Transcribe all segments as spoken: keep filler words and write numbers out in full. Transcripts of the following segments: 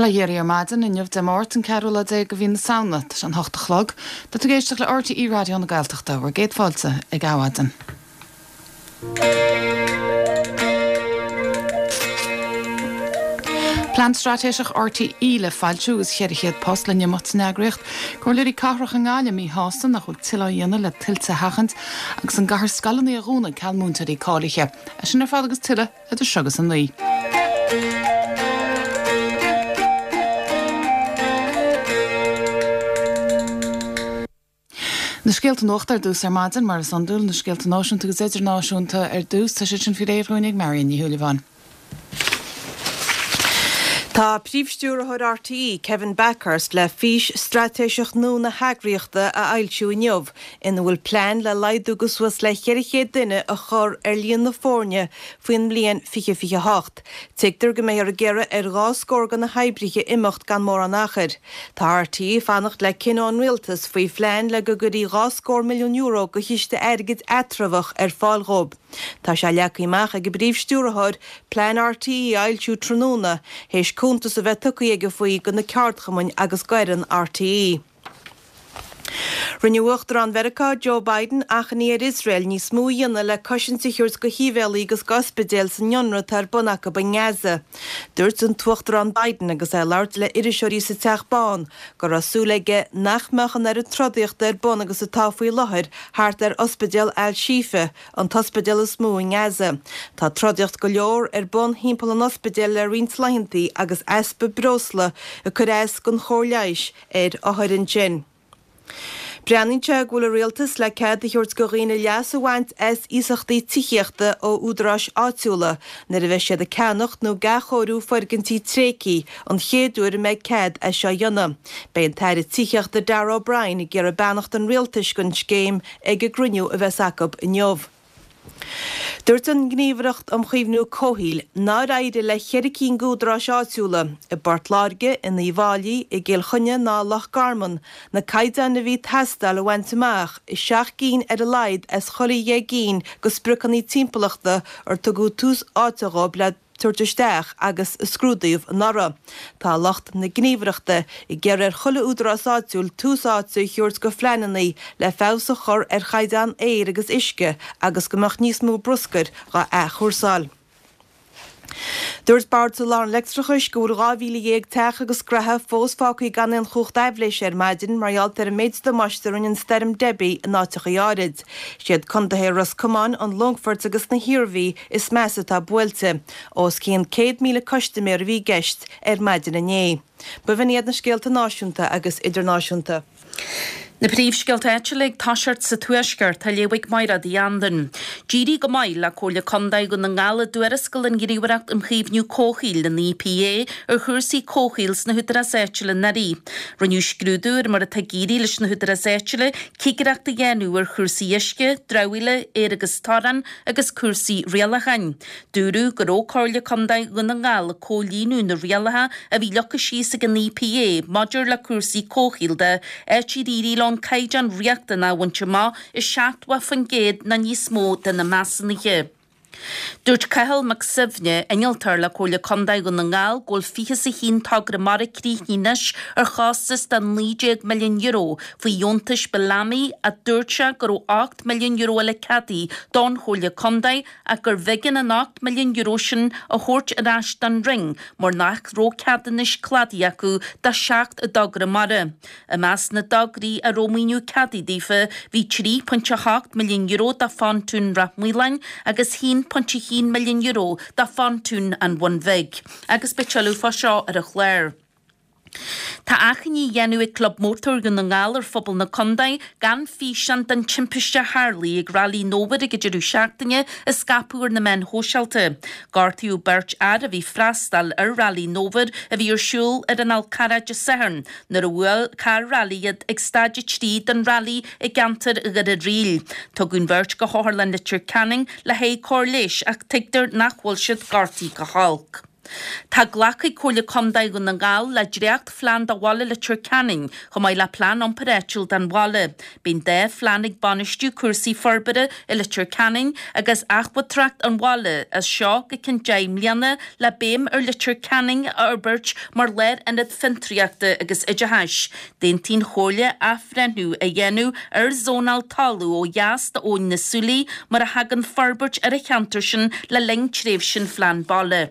Bail ó Dhia oraibh ar maidin inniu Dé Máirt an ceathrú lá déag de mhí na Samhna, tá sé an hocht a chlog. Tá tú ag éisteacht le RTÉ Raidió na Gaeltachta, bhur gcéad fáilte ag Adhmhaidin. Plean Straitéiseach RTÉ le foilsiú agus cheithre chéad post le n-imeacht san eagraíocht. Comhairleoirí cathrach i nGaillimh míshásta nach bhfuil tuilleadh á dhéanamh le tuilte a sheachaint agus an gcaithfear scoileanna a dhúnadh ceal múinteoirí cáilithe. É sin ar fad agus tuilleadh idir seo agus a naoi. Na scéalta nuachta ar dtús ar maidin, mar is iondúil, na scéalta náisiúnta agus idirnáisiúnta ar dtús, tá siad sin faoi réir dhúinn ag Marion Ní Shúilleabháin. Tá Príomh-Stiúrthóir RTÉ, Kevin Bakhurst, le fís straitéiseach nua na heagraíochta a fhoilsiú inniu, ina bhfuil plean le laghdú go suas le ceithre chéad duine a chur ar líon na foirne faoin mbliain fiche fiche hocht. Tuigtear go mbeifear ag iarraidh ar dhá scór de na hoibrithe imeacht gan mórán achair. Tá RTÉ ag fanacht le cinneadh ón Rialtas faoi phlean le go gcuirfí dhá scór milliún euro de chiste airgid eatramhach ar fáil dhóibh. Tá sé leagtha amach ag an bPríomh-Stiúrthóir plean RTÉ a fhoilsiú tráthnóna, théis cuntas a bheith tugtha aige faoi do na ceardchumainn agus d'fhoireann RTÉ. Rinne Uachtarán Mheiriceá Joe Biden achainí ar Iosrael níos mó a dhéanamh le cosaint a thabhairt do shibhialaigh agus d'ospidéil san ionradh atá ar bun acu i nGaza. Dúirt an tUachtarán Biden agus é ag labhairt le iriseoirí sa Teach Bán go raibh súil aige nach mbeadh an oiread trodaíochta ar bun agus atá faoi láthair thart ar Ospidéal Al-Shifa, an t-ospidéal is mó i nGaza. Tá trodaíocht go leor ar bun thimpeall an ospidéil le roinnt laethanta agus easpa breosla ag cur as don chóir leighis ar othair ansin. Breathnaíonn sé go bhfuil an Rialtas le cead a thabhairt do dhaoine leas a bhaint as iasachtaí tithíochta ó údaráis áitiúla nuair a bheidh siad ag ceannacht nó ag athchóiriú foirgintí tréigthe, an chéad uair a mbeidh cead é seo a dhéanamh. Beidh an tAire Tithíochta Darragh O'Brien ag iarraidh beannacht an Rialtais don scéim ag an gcruinniú a bheas acu inniu. Dúirt an Ghníomhaireacht um Chaomhnú Comhshaoil nár éirigh le ceithre cinn d'údaráis áitiúla, i bPort Láirge, in Uíbh Fháilí, i gCill Chainnigh ná i Loch Garman, na caighdeáin a bhí ag teastáil a bhaint amach i seacht gcinn ar a laghad as chuile dheich gcinn de spriocanna timpeallachta ar tugadh tús áite dhóibh le tabhairt isteach agus a scrúdaíodh anuraidh. Tá lucht na Gníomhaireachta ag iarraidh ar chuile údarás áitiúil tús áite a thabhairt do phleananna le feabhas a chur ar chaighdeán aeir agus uisce agus go mbeadh níos mó bruscair dhá athchúrsáil. Dúirt Bord Soláthair an Leictreachais go bhfuil dhá mhíle dhéag teach agus gnaithe fós fágtha gan aon chumhacht aibhléise ar maidin mar gheall ar an méid damáiste a rinne an stoirm Debbie in áiteachaí áirid. Siad contaetha Ros Comáin, an Longfoirt agus na hIarmhí is measa atá buailte. Os cionn céad míle custaiméir a bhí i gceist ar maidin inné. B'in iad na scéalta náisiúnta agus idirnáisiúnta. Na príomhscéalta áitiúla ag toiseacht sa Tuaisceart, á léamh ag Mairéad Uí Anluain. D'éirigh go maith le Comhairle Contae Dhún na nGall i dtuarascáil an Ghníomhaireacht um Chaomhnú Comhshaoil, an EPA, ar chúrsaí comhshaoil sna húdaráis áitiúla anuraidh. Rinneadh scrúdú ar mar atá ag éirí leis na húdaráis áitiúla cigireacht a dhéanamh ar chúrsaí uisce, dramhaíola, aeir agus torainn agus cúrsaí rialacháin. Dúradh go raibh Comhairle Contae Dhún na nGall ag comhlíonadh na rialacha a bhí leagtha síos ag an EPA maidir le cúrsaí comhshaoil de, áit ar éirigh leo an caighdeán riachtanach a bhaint amach i seachtó faoin gcéad nó níos mó de na measúnuithe. Dúirt Cathal Mac Suibhne, innealtóir le Comhairle Contae Dhún na nGall, go bhfuil fiche is a haon togra mara críochnaithe anois ar chostas de naoi déag milliún euro faoi dheontais Bellamy ach dúirt sé go raibh ocht milliún euro eile ceadaithe don Chomhairle Contae ach gurbh éigean an ocht milliún euro sin a thabhairt ar ais don Roinn mar nach raibh ceadúnais cladaigh acu do sheacht dtogra mara. I measc na dtograí a raibh maoiniú ceadaithe daofa bhí trí phointe a hocht milliún euro do Phontún Ráth Maoláin agus haon pointe a haon milliún euro do Phontún an Bhun Bhig. Agus beidh tuilleadh fá seo ar an chlár. Tá achainí á dhéanamh ag Club Mótar Dhún na nGall ar phobal na contae gan físeán den timpiste a tharlaigh ag Railí an Fhómhair ag an deireadh seachtaine a scaipeadh ar na meáin shóisialta. Gortaíodh beirt fhear a bhí ag freastal ar Railí an Fhómhair a bhí ar siúl ar an Fhál Carrach Dé Sathairn nuair a bhuail carr railí iad ag staid a trí den railí i gceantar Dhoire Ríl. Tugadh an bheirt go hOtharlann Leitir Ceanainn le haghaidh cóir leighis ach tuigtear nach bhfuil siad gortaithe go holc. Tá glactha ag Comhairle Contae Dhún na nGall le dréachtphlean do bhaile Leitir Ceanainn, chomh maith le plean iompair áitiúil don bhaile. Beidh an dá phlean ag bainistiú cúrsaí forbartha i Leitir Ceanainn agus abhantracht an bhaile as seo go ceann deich mbliana le béim ar Leitir Ceanainn a fhorbairt mar lárionad fiontraíochta agus oideachais. D'aontaigh an Chomhairle athbhreithniú a dhéanamh ar zónáil talún ó dheas d'Abhainn na Súilí mar a thagann forbairt ar an cheantar sin le linn tréimhse an phlean baile.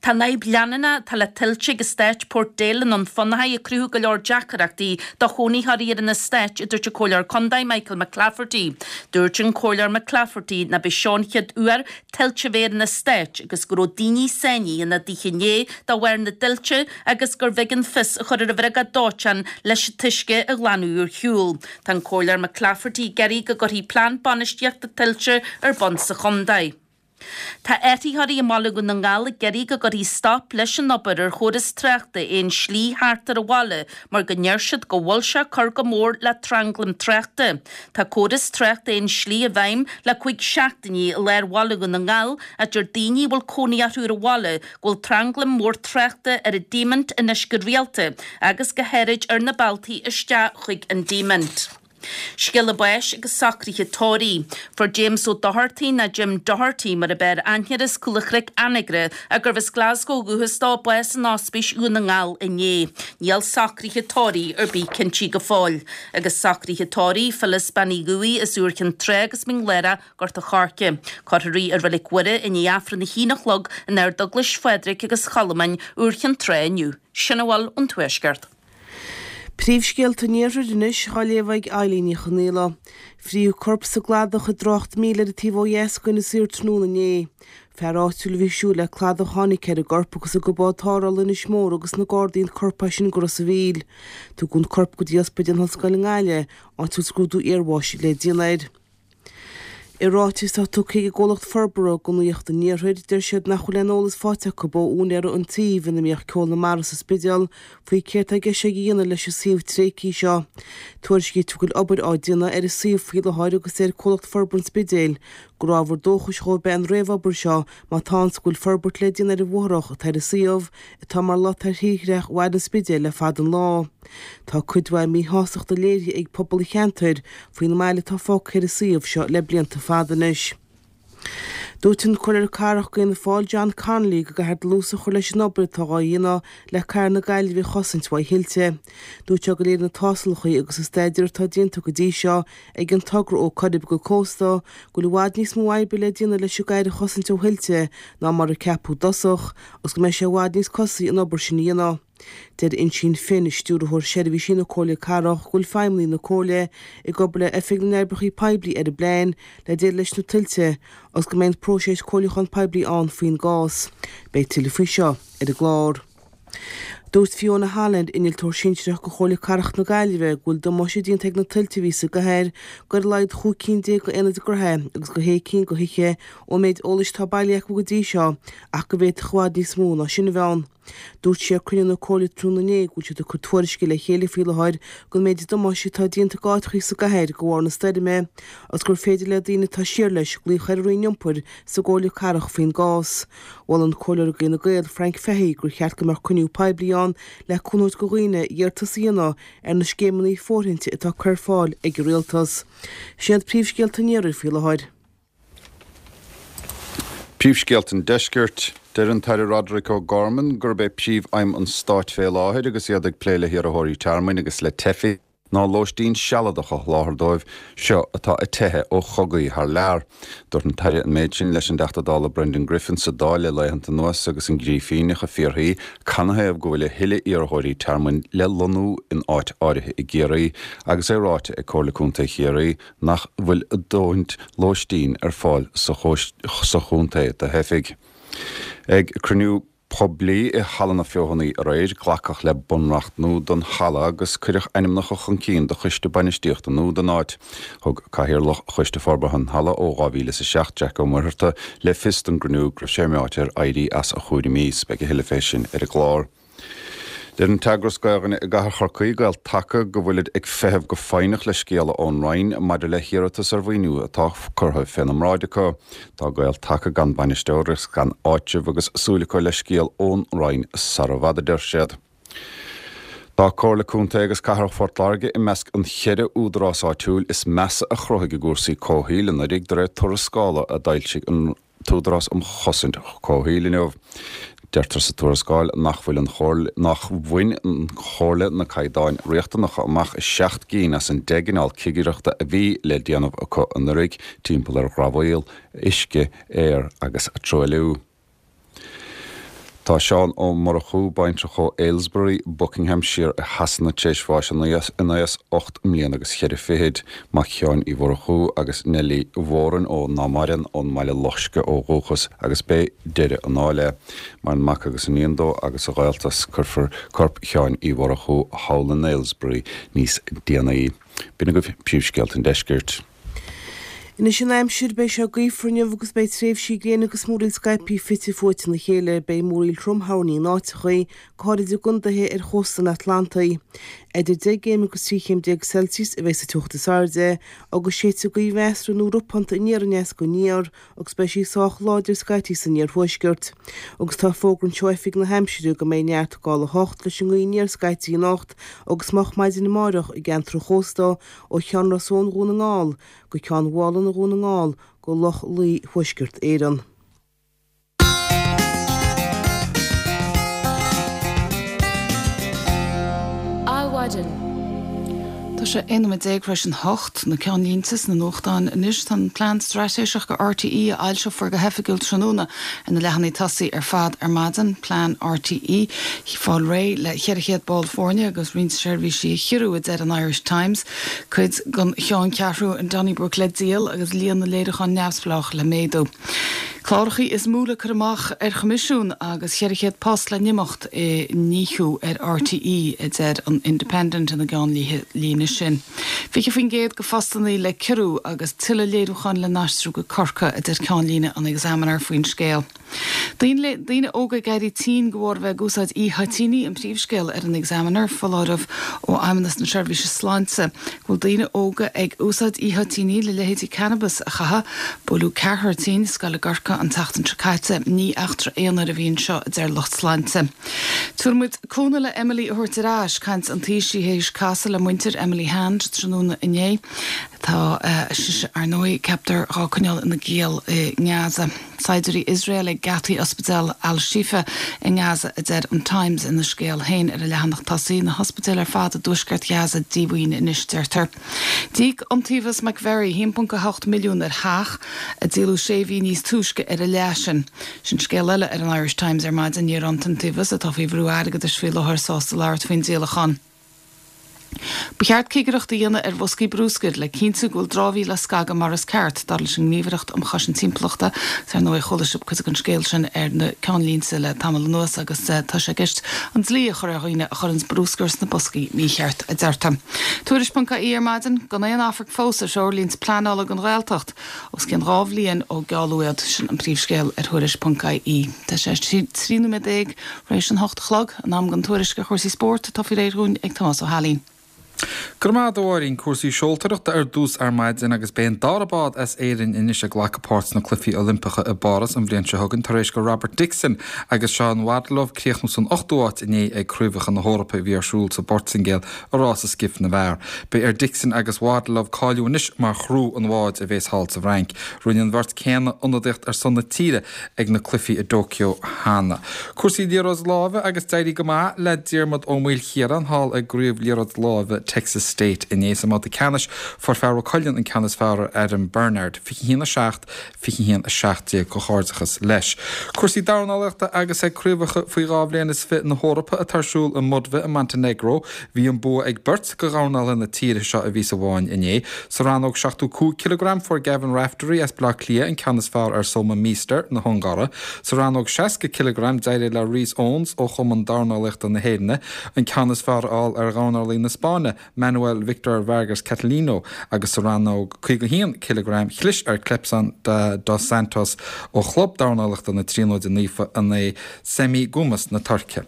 Tá an fhadhb leanúnach atá le tuilte ag eastát Port Dale i nDún Fionnachaidh ag cruthú go leor deacrachtaí do chónaitheoirí ar an eastát, a dúirt an Comhairleoir Contae Michael McClafferty. Dúirt an Comhairleoir McClafferty nach b'é seo an chéad uair tuilte a bheith ar an eastát agus go raibh daoine sáinnithe ina dtithe inné de bharr na dtuilte agus gurbh éigean fios a chur ar an bhriogáid dóiteáin leis an t-uisce a ghlanadh ar shiúl. Tá an Comhairleoir McClafferty ag iarraidh go gcuirfí plean bainistíochta tuilte ar bun sa chontae. Tá áitritheoirí i mbaile Dhún na nGall ag iarraidh go gcuirfí stop leis an obair ar chóras tráchta aon slí thart ar an bhaile mar go ndeir siad go bhfuil sé ag cur go mór le tranglam tráchta. Tá córas tráchta aon slí i bhfeidhm le cúig seachtainí i lár bhaile Dhún na nGall a deir daoine a bhfuil cónaí orthu ar an bhaile go bhfuil tranglam mór tráchta ar an Diamond anois go rialta agus go háirid ar na bealtaí isteach chuig an Diamond. Scéala báis agus socruithe tórraimh. Fuair James Ó Dochartaigh, nó Jim Doherty mar ab fhearr aithne air, as Cúl an Chnoic, Anagaire, ach gurbh as Glasgow ó dhúchas dó, bás in Ospís Dhún na nGall inné. Níl socruithe tórraimh ar bith cinntithe go fóill. Agus socruithe tórraimh Phyllis Bean Uí Dhubhthaigh as Iúr Chinn Trá agus Mín Lárach, Gort an Choirce. Cuirfear í i Reilig Mhuire i ndiaidh Aifreann a haon a chlog in Ardeaglais Phádraig agus Cholmáin, Iúr Chinn Trá inniu. Sin a bhfuil ón Tuaisceart. Príomhscéalta an Iarthair anois á léamh ag Eilín Ní Chonaola. Frítheadh corp sa gcladach i dtrácht míle ar an taobh ó dheas d'Inis Oírr tráthnóna inné. Fear áitiúil a bhí ag siúl le cladach a tháinig ar an gcorp agus thug bád tarrthála Inis Mór agus na Gardaí an corp as sin go Ros a' Mhíl. Tugadh an corp go dtí Ospidéal na hOllscoile i nGaillimh, áit a bhfuil scrúdú iarbháis le déanamh air. I ráiteas atá tugtha ag an gcomhlacht forbartha do Nuacht an Iarthair, deir siad nach bhfuil aon eolas faighte acu ó úinéara an tsuímh ina mbíodh Ceol na Mara sa Spidéal faoi céard tá i gceist aige a dhéanamh leis an suíomh tréigthe seo. Tuairiscítear go bhfuil obair á déanamh ar an suíomh faoi láthair agus deir Comhlacht Forbartha an Spidéil gur ábhar dóchais dhóibh ab ea an réamhobair seo má tá ann is go bhfuil forbairt le déanamh ar an bhfothrach atá ar an suíomh atá mar lot ar thírdhreach bhaile an Spidéil le fada an lá. Tá cuid mhaith míshástachta léirithe ag pobal an cheantair faoin mbail atá fágtha ar an suíomh seo le blianta fada anois. Dúirt an Comhairleoir Cathrach d'Fhianna Fáil John Connolly go gcaithfear dlús a chur leis an obair atá á dhéanamh le cathair na Gaillimhe a chosaint uaidh thuilte. Dúirt sé go léiríonn na tástálacha agus an staidéar atá déanta go dtí seo ag an togra ó Coirib go Cósta go bhfuil i bhfad níos mó oibre le déanamh leis an gcathair a chosaint ó thuilte ná mar a ceapadh i dtosach agus go mbeidh sé i bhfad níos costasaí an obair sin a dhéanamh. Deir Uinsíonn Finn, Stiúrthóir Seirbhísí na Comhairle Cathrach, go bhfuil feidhmeannaigh na Comhairle ag obair le Oifig na nOibreacha Poiblí ar an bplean le deireadh leis na tuilte agus go mbeidh an próiseas comhairliúcháin poiblí ann faoin gcás. Beidh tuilleadh faoi seo ar an gclár. Dúirt Fiona Holland, Innealtóir Sinsearach do Chomhairle Cathrach na Gaillimhe, go bhfuil damáiste déanta ag na tuilte a bhí sa gcathair do ar a laghad chúig cinn déag d'aonaid gnóthaí agus do shé cinn de thithe ón méid eolais atá bailithe acu go dtí seo ach go bhféadfadh i bhfad níos mó ná sin a bheith ann. Dúirt sí ag cruinniú na Comhairle tráthnóna inné go bhfuil siad ag cur tuairisce le chéile faoi láthair don méid damáiste atá déanta go áiteachaí sa gcathair de bharr na stoirme agus gur féidir le daoine atá siar leis glaoch ar an Roinn Iompair sa gComhairle Cathrach faoin gcás. Mhol an Comhairleoir d'Fhine Gael, Frank Fahy, gur cheart go mbeadh cruinniú poiblí ann le cúnamh a thabhairt do dhaoine iarratas a dhéanamh ar na scéimeanna fóirithinte atá curtha ar fáil ag an Rialtas. Sin iad príomhscéalta an Iarthair faoi láthair. Príomhscéalta an Deiscirt. Deir an tAire Roderic O'Gorman gurb é príomhaidhm an stáit fé láthair agus iad ag plé le hiarrthóirí tearmainn agus le teifigh ná lóistín sealadach a sholáthar dóibh seo atá ag teitheadh ó chogaí thar lear. Dúirt an tAire an méid sin leis an dTeachta Dála Brendan Griffin sa Dáil le laethanta anuas agus an Grífíneach ag fiafraí canathaobh go bhfuil a thuilleadh iarrthóirí tearmainn le lonnú in áit áirithe i gCiarraí agus é ráite ag Comhairle Contae Chiarraí nach bhfuil a dóthain lóistín ar fáil sa chontae do theifigh. Ag cruinniú poiblí i Halla na Feothanaí aréir, glacadh le bunreacht nua don halla agus cuireadh ainmneacha chun cinn do choiste bainistíochta nua don áit. Thug Cathaoirleach Choiste Forbartha an Halla ó dhá mhíle is a seacht, Jack Ó Muircheartaigh, le fios don gcruinniú go raibh sé meáite ar éirí as a chúraimí. Beidh a thuilleadh fé sin ar an gclár. Deir an t-eagras Gaelainne i gcathair Chorcaí, Gael Taca, go bhfuilid ag feitheamh go foighneach le scéala ón Roinn maidir le hiarratas ar mhaoiniú atá curtha féna mbráid acu. Tá Gael Taca gan bainisteoir agus gan áitreabh agus súil acu le scéal ón Roinn sara bhfad, a deir siad. Tá Comhairle Contae agus Cathrach Phort Láirge i measc an cheithre údarás áitiúil is measa a chruthaigh i gcúrsaí comhshaoil anuraidh de réir tuarascála a d'fhoilsigh an tÚdarás um Chosaint Comhshaoil inniu. Deirtear sa tuarascáil nach bhfuil an chomhairle nach bhain an chomhairle na caighdeáin riachtanacha amach i seacht gcinn as an deich gcineál cigireachta a bhí le déanamh acu anuraidh timpeall ar dhramhaíl, uisce, aer agus truailliú. Tá Seán Ó Murchú, baintreach ó Aylesbury, Buckinghamshire i Shasana tar éis bháis in aois ocht mbliana agus cheithre fichid. Mac Sheáin Uí Mhurchú agus Neilí Mhórain ó ná maireann ón mBaile Loiscthe ó dhúchas agus b'é deireadh a ndáil é. Maireann mac agus iníon dó agus a ghaolta. Cuirfear corp Sheáin Uí Mhurchú thall in Aylesbury níos déanaí. B'in agaibh príomhscéalta an deiscirt. Anois an aimsir, beidh sé gaofar inniu agus beidh tréimhsí gréine agus múraíl scaipthe fite fuaite ina chéile. Beidh múraíl throm thoirní in áiteachaí, go háirid i gcontaetha ar chósta an Atlantaigh. Idir deich gcéim agus trí chéim déag Celsius a bheidh sa teocht is airde, agus séidfidh gaoth mheasartha nó ropánta aniar aneas go aniar agus beidh sí sách láidir scaití san iarthuaisceart. Agus tá fógra anseo ó Oifig na hAimsire go mbeidh neart gála a hocht leis an ngaoth aniar scaití anocht agus moch maidin amárach i gceantar an chósta ó Cheann Ros Eoin Dhún na nGall go Ceann Mhálanna Dhún na nGall go Loch Lao Thuaisceart Éireann. Adhmhaidin. Tá sé aon nóiméad déag tar éis an hocht, na ceannlínte sna nuachtáin anois. Tá an plean straitéiseach do RTÉ a fhoilseofar go hoifigiúil tráthnóna ar na leathanaigh tosaigh ar fad ar maidin. Plean RTÉ fáil réidh le ceithre chéad ball foirne agus roinnt seirbhísí a chiorrú, a deir an Irish Times. Cuid den cheanncheathrú in Donnybrook le díol agus líon na léiriúchán neamhspleách le méadú. Clárachaí is mó le cur amach ar choimisiún agus cheithre chéad post le n-imeacht i ndíothú ar RTÉ, a deir an Independent ina gceannlíne sin. Fiche faoin gcéad de phostannaí le ciorrú agus tuilleadh léiriúchán le n-aistriú go Corcaigh, a deir ceannlíne an Examiner faoin scéal. Daoine daoine óga ag éirí tinn de bharr a bheith ag úsáid e-thoitíní an príomhscéal ar an Examiner, foláireamh ó Fheidhmeannas na Seirbhíse Sláinte go bhfuil daoine óga ag úsáid e-thoitíní le leithéidí cannabis a chaitheamh. Buaileadh ceathrar tinn i scoil i gCorcaigh an tseachtain seo caite. Ní eachtra aonair a bhí anseo, a deir lucht sláinte. Tabharfaidh muid cúnamh le Emily a thabhairt ar ais, caint an Taoisigh théis casadh le muintir Emily Hand tráthnóna inné. Tá sise, ar ndóigh, ceaptar dhá coinneáil ina giall i nGaza. Saighdiúirí Iosrael ag geataí ospidéal Al-Shifa i nGaza, a deir an Times ina scéal féin ar a leathanach tosaigh. Na hospidéil ar fad i dtuaisceart Ghaza díomhaoin anois, deirtear. D'íoc Iontaobhas McVerry a haon ponc a hocht milliún ar theach a díoladh sé mhí níos túisce ar a leath sin. Sin scéal eile ar an Irish Times ar maidin. Ní raibh an t-iontaobhas, atá faoi bhrú airgeadais faoi láthair, sásta labhairt faoin díolachán. Ba cheart cigireacht a dhéanamh ar bhoscaí brúscair le cinntiú go bhfuil dramhaíl á scagadh mar is ceart, dar leis an nGníomhaireacht um Chosaint Timpeallachta. Agus ar ndóigh chuala sibh cuid den scéal sin ar na ceannlínte le tamall anuas agus tá sé i gceist an dlí a chur ar dhaoine a chuireanns brúscar sna boscaí mícheart, a deirtear. Tuairisc ponc ie ar maidin, gan aon amharc fós ar threoirlínte pleanála don Ghaeltacht, os cionn dhá bhliain ó gealladh iad. Sin an príomhscéal ar Thuairisc ponc ie. Tá sé trí nóiméad déag tar éis an hocht a chlog, an am don tuairisc ar chúrsaí spóirt atá faoi réir dhúinn ag Tomás Ó hAilín. Go raibh maith agat a Mháirín, cúrsaí seoltóireachta ar dtús ar maidin agus beidh an dara bád as Éirinn anois ag glacadh páirt sna Cluichí Oilimpeacha i bPáras an bhliain seo chugainn tar éis go Robert Dickson agus Seán Waddilove críochnú san ochtú háit inné ag Craobhacha na hEorpa a bhí ar siúl sa bPortaingéil i rása skiff na bhfear. Beidh ar Dickson agus Waddilove cáiliú anois mar chriú an bháid a bhéas thall sa bhFrainc. Rinne an bheirt céanna ionadaíocht ar son na tíre ag na cluichí i dTóiceo cheana. Cúrsaí liathróid láimhe agus d'éirigh go maith le Diarmuid Ó Maoilchiaráin thall i gCraobh Liathróid Láimhe Texas State inné. Sa mbabhta ceannais fuair fear Mhaigh Cuilinn an ceann is fearr ar Adam Bernard, fiche a haon a seacht, fiche a haon a seacht déag. Comhghairdeachas leis. Cúrsaí dornálaíochta agus ag Craobhacha faoi dhá bhliain is fiche na hEorpa atá ar siúl i mBudva i Montenegro, bhí an bua ag beirt de dhornálaithe na tíre seo a bhí sa bhfáinne inné. Sa rannóg seachtó cúig cileagram fuair Gavin Raftery as Baile Átha Cliath an ceann is fearr ar Soma Meester na hUngáire. Sa rannóg seasca cileagram d'éirigh le Rhys Owens ó Chumann Dornálaíochta na hÉireann an ceann is fearr a fháil ar dhornálaí na Spáinne, Manuel Victor Vargas Catalino agus sa rannóg caoga a haon cileagram chlis ar Clepson dos Santos ó Chlub Dornálaíochta na Tríonóide Naofa in aghaidh Semih Gumus na Tuirce.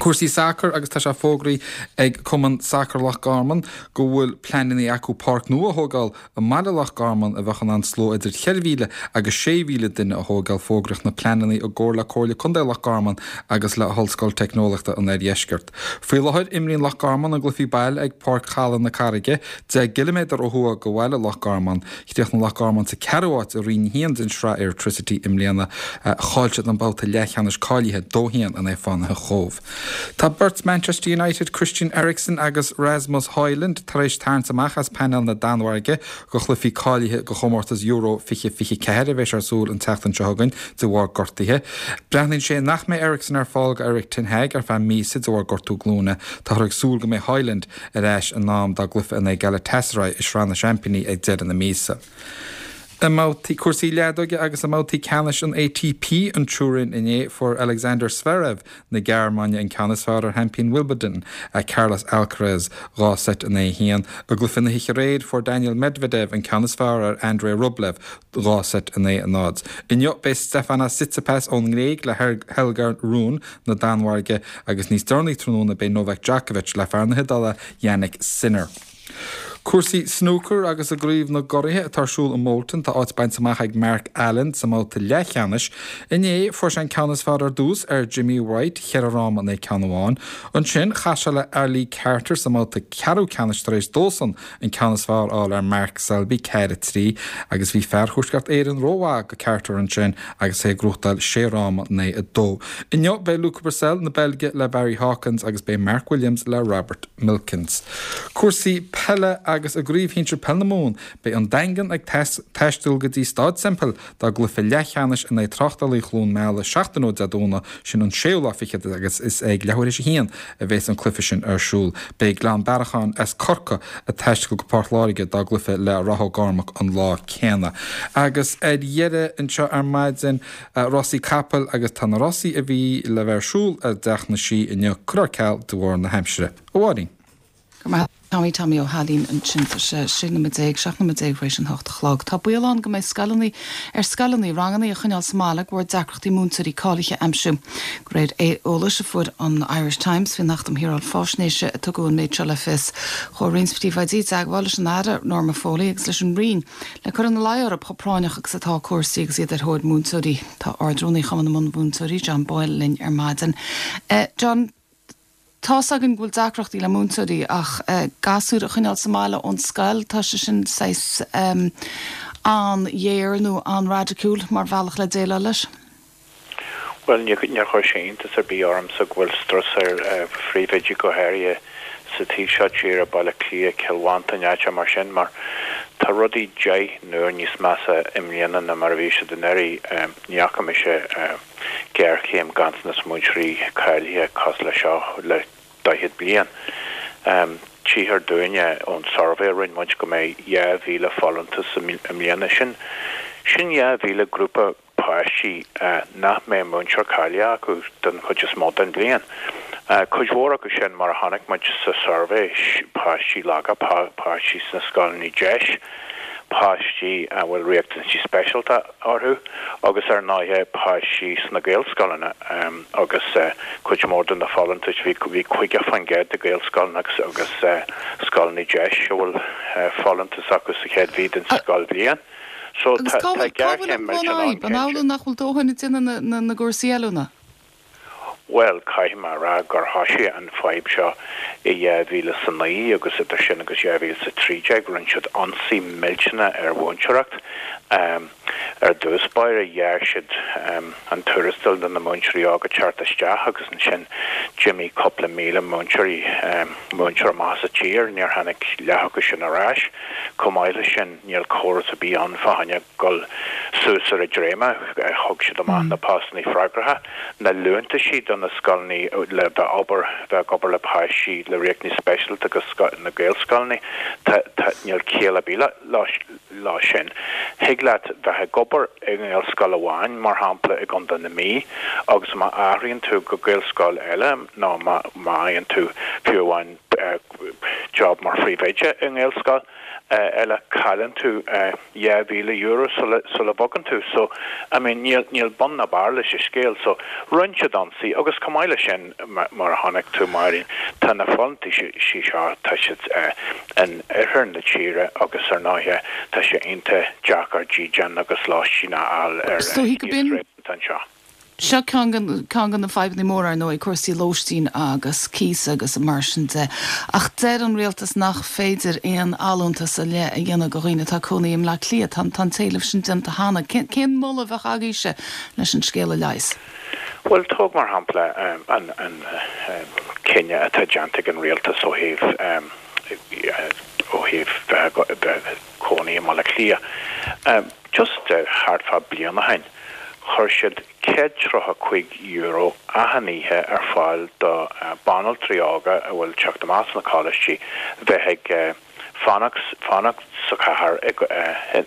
Cúrsaí sacair agus tá sé fógraithe ag Cumann Sacair Loch Garman go bhfuil pleananna acu páirc nua a thógáil i mbaile Loch Garman a bheadh in ann slua idir cheithre mhíle agus sé mhíle duine a thógáil. Fógraíodh na pleananna i gcomhar le Comhairle Contae Loch Garman agus le hOllscoil Teicneolaíochta an Oirdheiscirt. Faoi láthair imríonn Loch Garman a gcluichí baile ag Páirc Chaladh na Carraige, deich gciliméadar ó thuaidh go bhaile Loch Garman. Chríochnaigh Loch Garman sa ceathrú háit i Roinn a haon den Sraith Airtricity i mbliana. Chaill siad an babhta leathcheannais cáilithe dó haon in aghaidh Fánaithe Chóbh. Tá beirt Manchester United, Christian Eriksen agus Rasmus Højlund tar éis tarraingt amach as painéal na Danmhairge go chluichí cáilithe go chomórtas Euro fiche fiche ceathair a bheas ar siúl an tseachtain seo chugainn de bharr gortaithe. Breathnaíonn sé nach mbeidh Eriksen ar fáil go Erik ten Hag ar feadh míosa de bharr gortú glúine. Táthar ag súil go mbeidh Højlund ar ais in am dá gcluiche in aghaidh Galatasaray i Sraith na Seaimpíní ag deireadh na míosa. I mbabhtaí cúrsaí leadóige agus i mbabhtaí ceannais an A T P an Turin inné fuair Alexander Zverev na Gearmáine an ceann is fearr ar sheaimpín Wimbledon Carlos Alcaraz dhá seit in aghaidh a haon. I gcluiche na hoíche aréir fuair Daniel Medvedev an ceann is fearr ar Andrei Rublev dhá seit in aghaidh a náid. Inniu beidh Stefanos Tsitsipas ón nGréig le Holger Rune na Danmhairge agus níos deireanaí tráthnóna beidh Novak Djokovic le fear na hIodáile Jannik Sinner. Cúrsaí snúcair agus i gCraobh na gCuraithe atá ar siúl i Bolton tá áit bainte amach ag Mark Allen sa mbabhta leathcheannais. Inné fuair sé an ceann is fearr ar dtús ar Jimmy White cheithre fhráma in aghaidh ceann amháin. Ansin chas sé le Ali Carter sa mbabhta ceathrú ceannais tar éis dósan an ceann is fearr a fháil ar Mark Selby ceathair a trí agus bhí fear Thuaisceart Éireann rómhaith go Carter ansin agus é ag gnóthachtáil sé fhráma in aghaidh a dó. Inniu beidh Luca Brecel na Beilge le Barry Hawkins agus beidh Mark Williams le Robert Milkins. Cúrsaí peile agus i gCraobh Shinsir Peil na Mumhan beidh an Daingean ag taisteal go dtí Staid Semple dá gcluiche leathcheannais in aghaidh Tráchtálaí Chluain Meala seachtain ó Dé Domhnaigh sin an séú lá fichead agus is ag leathuair théis a haon a bheas an cluiche sin ar siúl. Beidh Gleann Bearacháin as Corcaigh ag taisteal go Port Láirge dá gcluiche le Ráth Ó gCormac an lá céanna. Agus ar dheireadh anseo ar maidin rásaí capall agus tá na rásaí a bhí le bheith ar siúl i dTeach na Sí inniu curtha ar ceal de bharr na haimsire. A Mháirín. Tommy Tommy Ó hAilín ansin sé sé nóiméad déag seacht nóiméad déag tar éis an hocht a chlog. Tá baol ann go mbeidh scoileanna ar scoileanna ranganna a choinneáil sa mbaile de bharr deacrachtaí múinteoirí cáilithe a aimsiú. De réir eolais a fuair an Irish Times faoin Acht um Shaoráil Faisnéise a tugadh an méid seo le fios. Chuaigh roinnt príomhoidí i dteagmháil leis an Aire Norma Foley agus leis an Roinn le cur ina luí orthu chomh práinneach agus atá cúrsaí agus iad ar thóir múinteoirí. Tá Ard-Rúnaí Chumann na Bunmhúinteoirí John Boyle linn ar maidin. Uh, John, Tá againn go bhfuil deacrachtaí le múinteoirí ach uh, gasúir a choinneáil sa mbaile ón scoil tá sé sin saghas um, an-ghéar nó an-raidiciúil mar bhealach le déileáil leis. Well níor chuir sé iontas ar bith ormsa go bhfuil strus ar uh, phríomhoidí go háirithe sa taobh seo tíre Baile Cliath Cill Mhantáin áit mar sin mar tá rudaí deich n-uair níos measa i mbliana ná mar a bhí siad anuraidh um, ní fhaca mise uh, géarchéim ganntanas múinteoirí cáilithe cosúil le seo le daichead bliain. Um, Tchíthear dúinne ón suirbhé a rinne muid go mbeidh dhá mhíle folúntas i mbliana sin sin dhá mhíle grúpa páistí uh, nach mbeidh múinteoir cáilithe acu den chuid is mó den bhliain. Uh, cuid mhór acu sin mar a chonaic muid sa suirbhé páistí laga páistí sna scoileanna deis, páistí a bhfuil riachtanaisí speisialta orthu agus ar ndóigh páistí sna Gaelscoileanna um, agus uh, cuid mhór de na folúntais bhí bhí caoga faoin gcéad de Gaelscoileanna agus agus uh, scoileanna deis a bhfuil uh, folúntas acu sa chéad mhí den scoilbhliain. So tá géarchéim An amhlaidh nach bhfuil dóthain daoine na gcúrsaí oiliúna? Well caithfidh mé a rá gur thosaigh an fhadhb seo i dhá mhíle is a naoi agus idir sin agus dhá mhíle is a trí déag rinne siad ionsaí millteanach ar mhúinteoireacht. Um, ar dtús báire ghearr siad um, an tuarastal do na múinteoirí óga teacht isteach agus ansin d'imigh cúpla míle múinteoirí um, múinteoir amach as an tír níor tháinig leath acu sin ar ais, Chomh maith leis sin níl córas ar bith ann fá choinne dul suas ar an dréim thug siad amach na postanna freagracha na liúntaisí do na scoileanna le bheith obair bheith obair le páistí le riachtanais speisialta agus na Gaelscoileanna níl ciall ar bith leis sin. Thig leat bheith ag obair i nGaelscoil amháin mar shampla i gContae na Mí agus má athraíonn tú go Gaelscoil eile nó má fhaigheann tú fiú amháin job mar phríomhoide i nGaelscoil eile cailleann tú dhá mhíle euro sula sula bhogann tú so I mean níl níl bun ná barr leis an scéal so rinne siad ionsaí agus chomh maith leis sin mar a chonaic tú Máirín tá na folúntaisí seo tá siad in oirthear na tíre agus ar ndóighe tá sé iontach deacair dídean agus lóistín a fháil ar anseo. Seo ceann de na fadhbanna móra ar ndóigh, cúrsaí lóistín agus cíos agus mar sin de. Ach deir an rialtas nach féidir aon allúntas ar leith a dhéanamh do dhaoine atá ag cónaí i mBleá Cliath. Tá an t-éileamh sin déanta cheana. Cén moladh a bheadh agaibhse leis an scéal a leigheas? Bhuel, tóg mar shampla an cinneadh atá déanta ag an rialtas ó thaobh ó thaobh bheith ag cónaí i mBaile Átha Cliath. Just thart fá bliain ó shin, chuir siad céad tríocha cúig euro achan oíche ar fáil do banaltraí óga a bhfuil teacht amach sna coláistí bheith ag fanacht fanacht sa chathair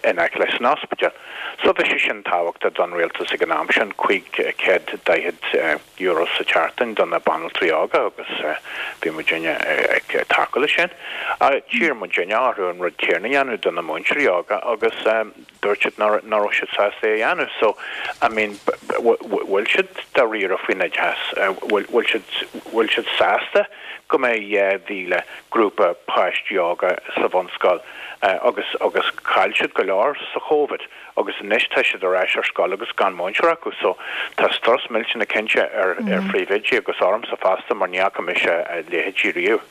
in aice leis an ospidéal. So bhí sé sin tábhachtach don rialtas ag an am sin, cúig chéad daichead euro sa tseachtain do na banaltraí óga agus bhí muidinne ag tacú leis sin. D'iarr muidinne orthu an rud céanna a dhéanamh do na múinteoirí óga agus dúirt siad nach raibh siad sásta é a dhéanamh. So, I mean, bhfuil siad dáiríre faoin oideachas? Bhfuil siad, bhfuil siad sásta go mbeidh dhá mhíle grúpa páistí óga sa bhunscoil agus, agus chaill siad go leor sa Chovid agus anois tá siad ar ais ar scoil agus gan múinteoir acu. So, tá strus millteanach cinnte ar, ar phríomhoidí agus ormsa fosta mar ní fhaca mise a leithéidí riamh.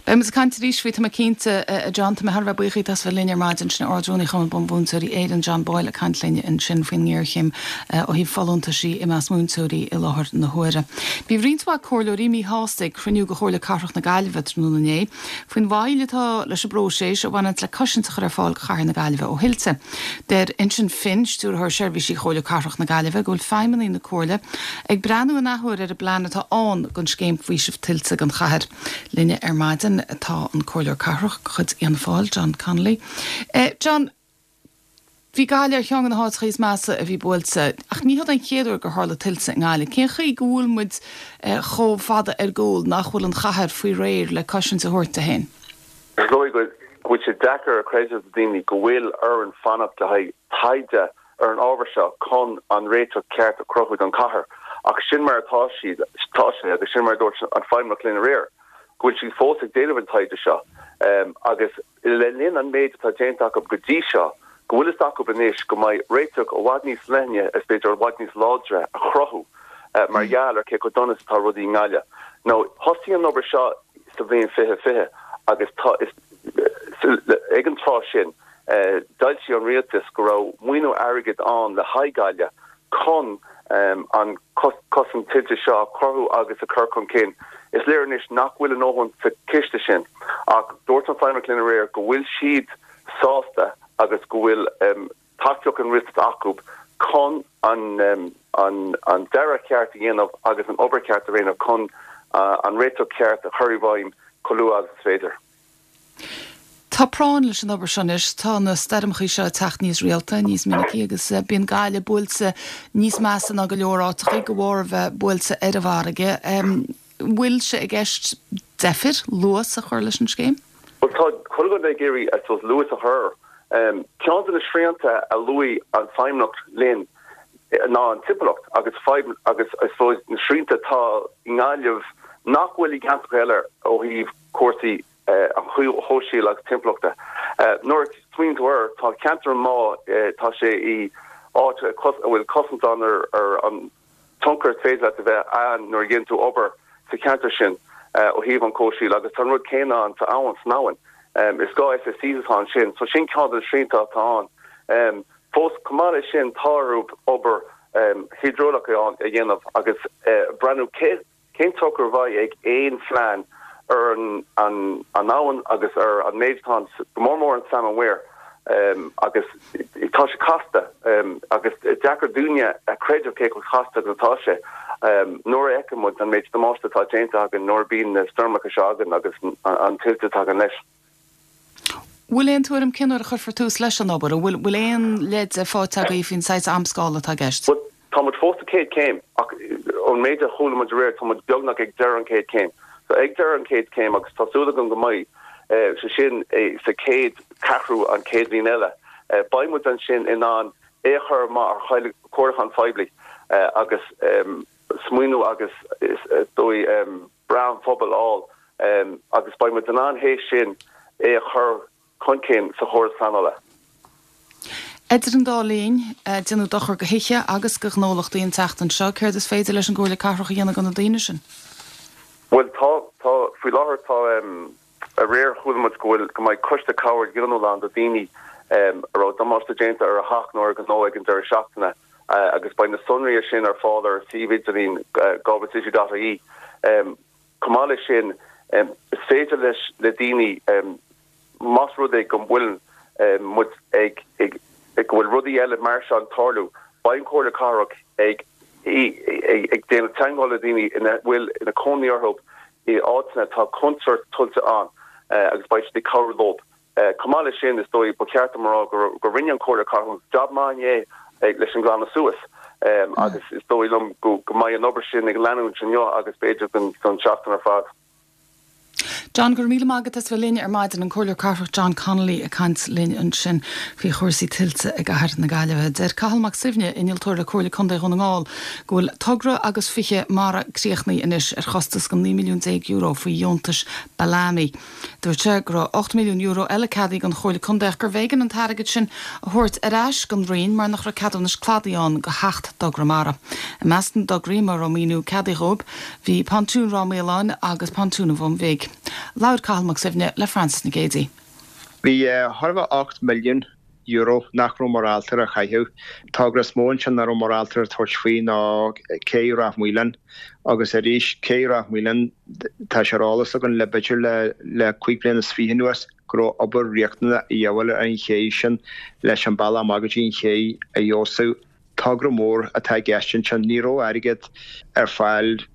Beidh muid ag caint arís faoi, tá mé cinnte, a John. Tá mé thar a bheith buíoch díot as bheith linn ar maidin. Sin Ard-Rúnaí Chumann Bunmhúinteoirí Éireann, John Boyle, ag caint linn ansin faoin ngéarchéim ó thaobh folúntaisí i measc múinteoirí i láthair na huaire. Bhí roinnt mhaith comhairleoirí míshásta ag cruinniú de Chomhairle Cathrach na Gaillimhe tráthnóna inné faoin mhoill atá leis an bpróiseas a bhaineanns le cosaint a chur ar fáil do chathair na Gaillimhe ó thuilte. Deir Uinseann Finn, Stiúrthóir Seirbhísí Chomhairle Cathrach na Gaillimhe, go bhfuil feidhmeannaigh na Comhairle ag breathnú an athuair ar an bplean atá ann don scéim faoisimh tuilte don chathair. Linne ar maidin tá an Comhairleoir Cathrach de chuid Fhianna Fáil, John Connolly. John, bhí Gaillimh ar cheann de na háiteacha is measa a bhí buailte, ach ní hiod an chéad uair gur tharla tuilte i nGaillimh. Cén chaoi go bhfuil muid chomh fada ar gcúl nach bhfuil an chathair faoi réir le cosaint a thabhairt di féin? Is dóigh go bhfuil sé deacair a chreideamh do daoine go bhfuil orainn fanacht le haghaidh taighde ar an ábhar seo chun an réiteach ceart a chruthú don chathair. Ach sin mar atá siad, tá sé agus sin mar a dúirt an Feidhmeannach linn aréir, go bhfuil siad fós ag déanamh an taighde seo agus le linn an méid atá déanta acu go dtí seo, go bhfuil fhios acu anois go mbeidh réiteach i bhfad níos leithne is b'fhéidir i bhfad níos láidre a chruthú mar gheall ar cé chomh dona is atá rudaí i nGaillimh. Now, thosaigh an obair seo sa bhliain fiche fiche agus tá, is, ag an tráth sin, D'fhoilsigh an rialtas go raibh maoiniú airgid ann le haghaidh Gaillimh chun an cosaint tuilte seo a chruthú agus a chur chun cinn. Is léir anois nach bhfuil a ndóthain sa chiste sin ach dúirt an Feidhmeannach linn aréir go bhfuil siad sásta agus go bhfuil tacaíocht an rialtais acu chun an dearadh ceart a dhéanamh agus an obair cheart a dhéanamh chun an réiteach ceart a chur i bhfeidhm chomh luath agus is féidir. Tá práinn leis an obair seo anois. Tá na stoirmeachaí seo ag teacht níos rialta, níos minicí agus bíonn Gaillimh buailte níos measa ná go leor áiteachaí de bharr a bheith buailte ar an bhfarraige. Bhfuil sé i gceist deifir, luas a chur leis an scéim? Bhuel, tá chuile dhuine ag iarraidh, I suppose, luas a chur. Ceann de na srianta a luaigh an Feidhmeannacht linn ná an timpeallacht agus fadhb agus, I suppose, na srianta atá i nGaillimh nach bhfuil i gceantracha eile ó thaobh cúrsaí an chomhshaoil agus timpeallachta. Nuair a smaoiníonn tú air, tá ceantar an Bhá, tá sé i áit a bhfuil cosaint ann ar an tionchar is féidir leat a bheith ann nuair a dhéanann tú obair sa cheantar sin ó thaobh an chomhshaoil agus tá an rud céanna ann sa abhainn, san abhainn. Is dhá SSC atá ansin, so sin ceann de na srianta atá ann. Fós, chomh maith leis sin, tá orthu obair hiodrálach a dhéanamh agus breathnú cé Cén tionchar a bheidh ag aon phlean ar an abhainn agus ar an méid atá ann, go mór mór an Salmon Weir? Agus tá sé casta agus deacair dúinne a chreideamh cé chomh casta agus atá sé nuair a fheiceann muid an méid damáiste atá déanta againn nuair a bíonn na stoirmeacha seo againn agus an tuilte a thagann leis. Bhfuil aon tuairim cén uair a chuirfear tús leis an obair? An bhfuil aon leid faighte agaibh faoin saghas amscála atá i gceist? Bhuel, tá muid fós sa chéad chéim ach ón méid a chuala muid aréir tá muid beagnach ag deireadh an chéad chéim. So ag deireadh an chéad chéim agus tá súil agam go mbeidh sé sin sa chéad ceathrú an chéad bhliain eile, beidh muid ansin in ann é a chur amach ar chomhairliúchán phoiblí agus smaoineamh agus is dóigh breith an phobail a fháil agus beidh muid in ann théis sin é a chur chun cinn sa chóras pleanála. Idir an dá linn, déanadh dochar do thithe agus do ghnólachtaí an tseachtain seo. Céard is féidir leis an gComhairle Cathrach a dhéanamh do na daoine sin? Bhuel, tá, tá, faoi láthair tá, aréir chuala muid go bhfuil, go mbeidh coiste cabhair dhaonnúil ann do dhaoine a raibh damáiste déanta ar a theach nó ar a ngnó ag an deireadh seachtaine agus beidh na sonraí sin ar fáil ar an suíomh idirlín galwaycity dot ie. Chomh maith leis sin, is féidir leis le daoine, más rud é go bhfuil muid ag, ag, go bhfuil rudaí eile mar seo ag tarlú, beidh an Chomhairle Cathrach ag, ag déanamh teagmháil le daoine ina bhfuil ina cónaí orthu i áiteanna atá contúirt tuilte ann agus beidh siad ag cabhrú leo. Chomh maith leis sin, is dóigh, ba cheart dom a rá go rinne an Chomhairle Cathrach jab maith inné leis an nglanadh suas agus is dóigh liom go mbeidh an obair sin ag leanúint inniu agus b'fhéidir don tseachtain ar fad. John, Go raibh míle maith agat as bheith linn ar maidin, an Comhairleoir Cathrach John Connolly ag caint linn ansin faoi chúrsaí tuilte i gcathair na Gaillimhe. Deir Cathal Mac Suibhne, innealtóir le Comhairle Contae Dhún na nGall, go bhfuil togra agus fiche mara críochnaithe anois ar chostas go naoi milliún déag euro faoi dheontais Balami. Dúirt sé go raibh ocht milliún euro eile ceadaithe don Chomhairle Contae ach gurbh éigean an t-airgead sin a thabhairt ar ais don Roinn mar nach raibh ceadúnais cladaigh ann do sheacht dtogra mara. I measc na dtograí a raibh maoiniú ceadaithe dhóibh bhí Pontún Ráth Maoláin agus Pontún an Bhun Bhig. Labhair Cathal Mac Suibhne le Frances Nic Géadaigh. Bhí chóir a bheith ocht milliún euro nach raibh móráltar a chaitheamh. Togra is mó ansin nach raibh móráltar a tabhairt faoi ná Cé Ráth Maoláin agus arís Cé Ráth Maoláin tá sé ar eolas againn le b'fhéidir le le cúig bliana is fiche anuas go raibh obair riachtanach a dhíobháil ar an ché sin leis an bealach amach go dtí an ché a fheabhsú. Togra mór atá i gceist ansin. Ní raibh airgead ar fáil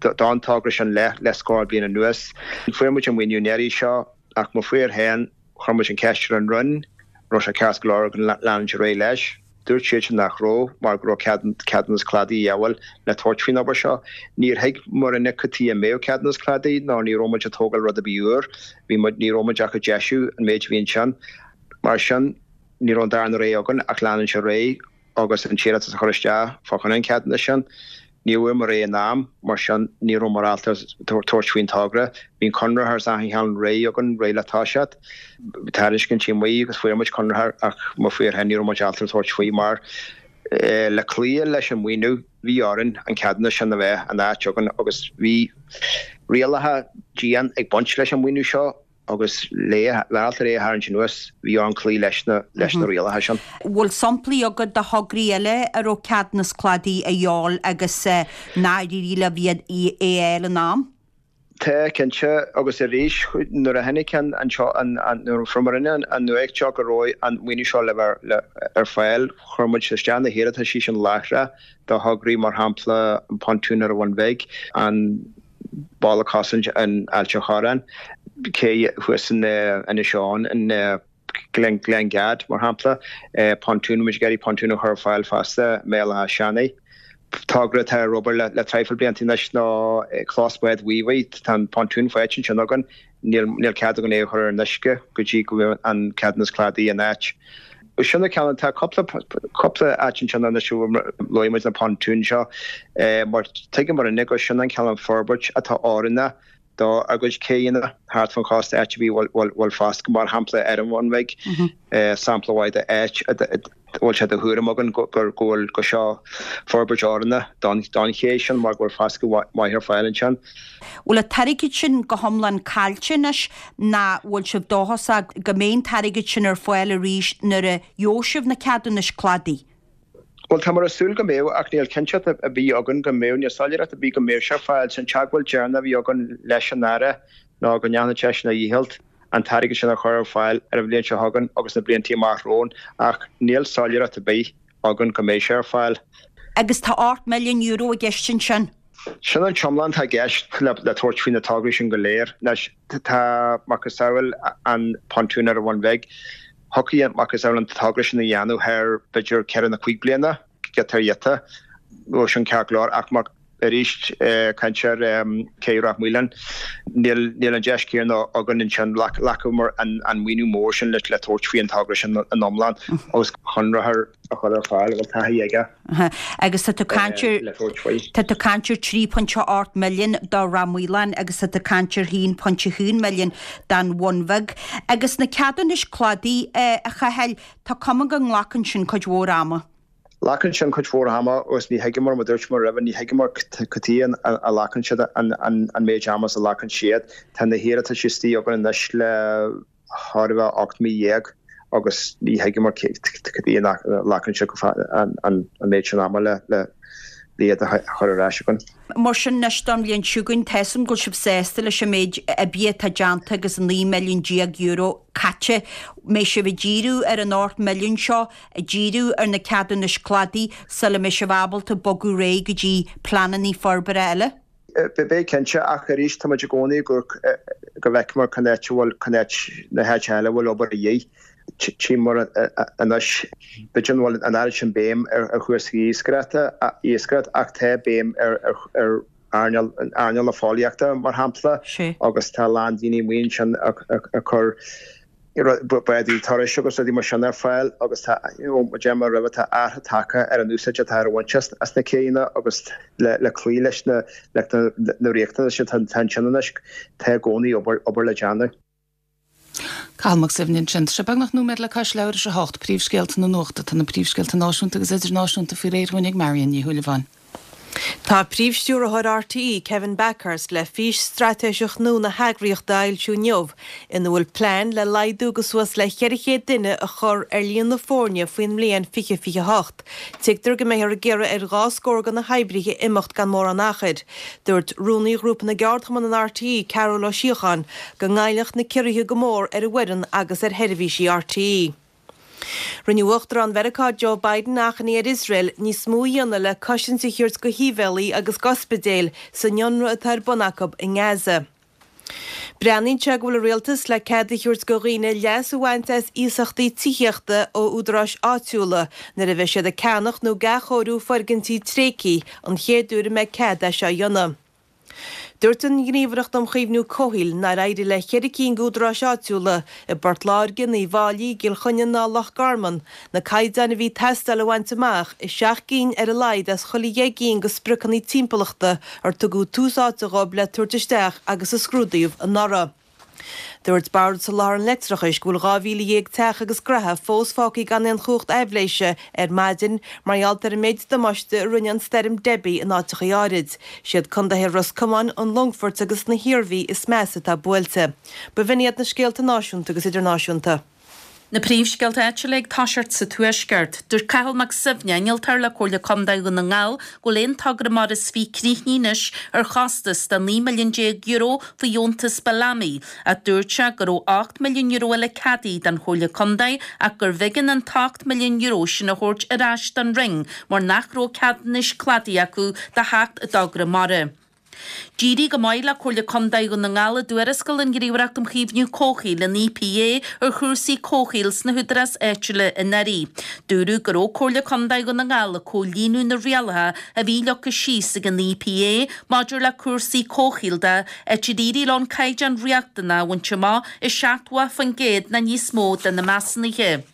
don togra sin le le scór bliain anuas. Fuair muid an maoiniú an iarraidh seo ach mo mhaor féin, chuir muid an cheist ar an Roinn, an raibh sé ceart go leor againn leanúint ar aghaidh leis. Dúirt siadsan nach raibh mar go raibh ceadúnas cladaigh a dhíobháil le tabhairt faoin obair seo. Níor thuig mo Roinne cad chuige a mbeadh ceadúnas cladaigh ná ní raibh muid ag tógáil rud ar bith úr, bhí muid, ní raibh muid ach ag deisiú an méid a bhí ansin. Mar sin, ní raibh an darna rogha againn ach leanúint ar aghaidh agus an t-iarratas a chur isteach fá choinne an cheadúnais sin. Ní bhfuair muid réidh in am, mar sin ní raibh muid ábalta tabhairt faoin togra. Bhí an conraitheoir is achan cheann réidh againn, réidh le toiseacht. Bhí tairiscintí amuigh agus fuair muid conraitheoir ach mo mhaor féin ní raibh muid ábalta tabhairt faoi mar le cloí leis an maoiniú bhí orainn an ceadúnas sin a bheith in áit againn agus bhí rialacha dian ag baint leis an maoiniú seo. agus le ábalta é a tharraingt anuas, bhí orainn cloí leis na leis na rialacha sin. Bhfuil samplaí agat de thograí eile a raibh ceadúnas cladaigh a dhíobháil agus nár éirigh leo é a fháil in am? Tá, cinnte, agus arís, nuair a tháinig an an seo an an nuair a fuair mo Roinn an nuacht seo go raibh an maoiniú seo le bheith ar fáil, chuir muid isteach na hiarrataisí sin láithreach do thograí mar shampla an pontún ar an Bhun Bhig, an balla cosanta in Ailt an Chorráin, cé thuas in Inis Eoghain, in Gleann Gad, mar shampla, pontún, muid ag iarraidh pontún a chur ar fáil fosta i mBéal Átha Seanaidh. Togra atá ar obair le traidhfil blianta anois ná clós bád Mhíobhaigh, tá an pontún faighte ansin againn, níl cead againn é a chur ar an uisce go dtí go bhfuil an ceadúnas cladaigh in áit. Sin na ceann, tá cúpla cúpla áit ansin anois a luaigh muid na pontúin seo mar tuigeann mo Roinn gur sin an cineál forbairt atá oiriúnach do ár gcuid céanna thart fan chósta áit ar bith a bhfuil bhfuil foscadh mar shampla ar an Bhun Bhig sampla mhaith de áit a bhfuil sé de thuairim againn go go bhfuil go seo forbairt oiriúnach don don ché sin mar go bhfuil foscadh maith ar fáil ansin. Bhfuil an t-airgead sin go hiomlán caillte anois ná bhfuil sibh dóchasach go mbeidh an t-airgead sin ar fáil arís nuair a gheobhaidh sibh na ceadúnais cladaigh? Bhuel, táimid ag súil go mbeidh, ach níl cinnteacht ar bith againn go mbeidh, níl soiléireacht ar bith go mbeidh sé ar fáil. An teagmháil deireanach a bhí againn leis an Aire ná go ndéanfadh seisean a dhícheall an t-airgead sin a chur ar fáil ar an bhliain seo chugainn agus na blianta amach romhainn, ach níl soiléireacht ar bith againn go mbeidh sé ar fáil. Agus tá ocht milliún euro i gceist ansin. Sin an t-iomlán atá i gceist le tabhairt faoi na tograí sin go léir. Anois, tá macasamhail an pontún ar an Bhun Bhig. Thiocfadh macasamhail an togra sin a dhéanamh thar b'fhéidir ceithre nó cúig bliana, giota ar ghiota. Bheadh sin ceart go leor ach má Arís, caint ar Cé Ráth Maoláin, níl an deis chéanna againn ansin, ghlacamar an maoiniú mór sin le tabhairt faoi an togra sin in iomlán agus conraitheoir a chur ar fáil a bhfuil taithí aige Agus tá tú caint ar le tabhairt faoi. Tá tú caint ar trí pointe ocht milliún do Ráth Maoláin agus tá tú caint ar haon pointe haon milliún don Bhun Bheag. Agus na ceadúnais cladaigh, a Chathail, tá cuma go nglacann sin cuid mhór ama. Glacann sin cuid mhór ama agus ní thuigeamar, mar dúirt mé roimhe, ní thuigeamar cad chuige a nglacann siad an méid ama is a ghlacann siad. Tá na hiarratais istigh againn anois le thar a bheith ocht mí dhéag agus ní thuigeamar cad chuige a nglacann siad an méid sin ama le iad a chur ar ais againn. Mar sin anois don bhliain seo chugainn, tá 'fhios a'm go bhfuil sibh sásta leis an méid oibre atá déanta agus an naoi milliún déag euro caite. Mbeidh sibh ag díriú ar an ocht milliún seo, ag díriú ar na ceadúnais cladaigh sula mbeidh sibh ábalta bogadh ar aghaidh go dtí pleananna forbartha eile? Beidh cinnte, ach arís tá muid i gcónaí go bhfeicfear cá háit a bhfuil, cá háit, na háit eile a bhfuil obair a dhíth. Tchíomar anois, b'fhéidir nach bhfuil an oiread sin béim ar chúrsaí iascaireachta ach tá béim ar earnáil na fóillíochta, mar shampla, agus tá a lán daoine amuigh ansin ag cur bádaí turais agus rudaí mar sin ar fáil agus tá, mar a deir mé roimhe, tá athrú tagtha ar an úsáid atá ar bhaint as na céanna agus le cloí leis na riachtanais atá ansin anois, tá i gcónaí obair le déanamh. Cathal Mac Suibhne ansin. Tá sé beagnach nóiméad le cois leathuair tar éis a hocht, príomhscéalta na nuachta. Tá na príomhscéalta náisiúnta agus idirnáisiúnta faoi réir dhúinn ag Marion Ní Shúilleabháin. Tá Príomh-Stiúrthóir RTÉ, Kevin Bakhurst, le fís straitéiseach nua na heagraíochta a fhoilsiú inniu, ina bhfuil plean le laghdú go suas le ceithre chéad duine a chur ar líon na foirne faoin mbliain fiche fiche a hocht. Tuigtear go mbeifear ag iarraidh ar dhá scór de na hoibrithe imeacht gan mórán achair. Dúirt Rúnaí Ghrúpa na gCeardchumann in RTÉ, Cearbhall Ó Síocháin, go ngoillfeadh na ciorruithe go mór ar an bhfoireann agus ar sheirbhísí RTÉ. Rinne Uachtarán Mheiriceá Joe Biden achainí ar Iosrael níos mó a dhéanamh le cosaint a thabhairt go shibhialaigh agus d'ospidéil san ionradh atá ar bun acu i nGaza. Breathnaíonn sé go bhfuil an Rialtas le cead a thabhairt go dhaoine leas a bhaint as iasachtaí tithíochta ó údaráis áitiúla nuair a bheidh siad ag ceannach nó ag athchóiriú foirgintí tréigthe an chéad uair a mbeidh cead é seo a dhéanamh. Dúirt an Ghníomhaireacht um Chaomhnú Comhshaoil nár éirigh le ceithre cinn d'údaráis áitiúla i bPort Láirge, in Uíbh Fháilí, i gCill Chainnigh ná Loch Garman na caighdeáin a bhí ag teastáil a bhaint amach i seacht gcinn ar a laghad as chuile dheich gcinn de spriocanna timpeallachta ar tugadh tús áite dhóibh le tabhairt isteach agus a scrúdaíodh anuraidh. Dúirt Bord Soláthair an Leictreachais go bhfuil dhá mhíle dhéag teach agus gnaithe fós fágtha gan aon chumhacht aibhléise ar maidin mar gheall ar an méid damáiste a rinne an stoirm Debbie in áiteachaí áirid. Siad condaetha Ros Comáin, an Longfoirt agus na hIarmhí is measa atá buailte. B'in iad na scéalta náisiúnta agus idirnáisiúnta. Na príomhscéalta áitiúla ag toiseacht sa Tuaisceart. Dúirt Cathal Mac Suibhne, innealtóir le Comhairle Contae Dhún na nGall, go bhfuil aon togra mara is fiche críochnaithe anois ar chostas de naoi milliún déag euro faoi dheontas Bellamy, ach dúirt sé go raibh ocht milliún euro eile ceadaithe don Chomhairle Contae ach gurbh éigean an t-ocht milliún euro sin a thabhairt ar ais don Roinn mar nach raibh ceadúnais cladaigh acu do sheacht dtogra mara. D'éirigh go maith le Comhairle Contae Dhún na nGall i dtuarascáil an Ghníomhaireacht um Chaomhnú Comhshaoil, an EPA, ar chúrsaí comhshaoil sna húdaráis áitiúla anuraidh. Dúradh go raibh Comhairle Contae Dhún na nGall ag comhlíonadh na rialacha a bhí leagtha síos ag an EPA maidir le cúrsaí comhshaoil de, áit ar éirigh leo an caighdeán riachtanach a bhaint amach i seachtó faoin gcéad nó níos mó de na measúnuithe.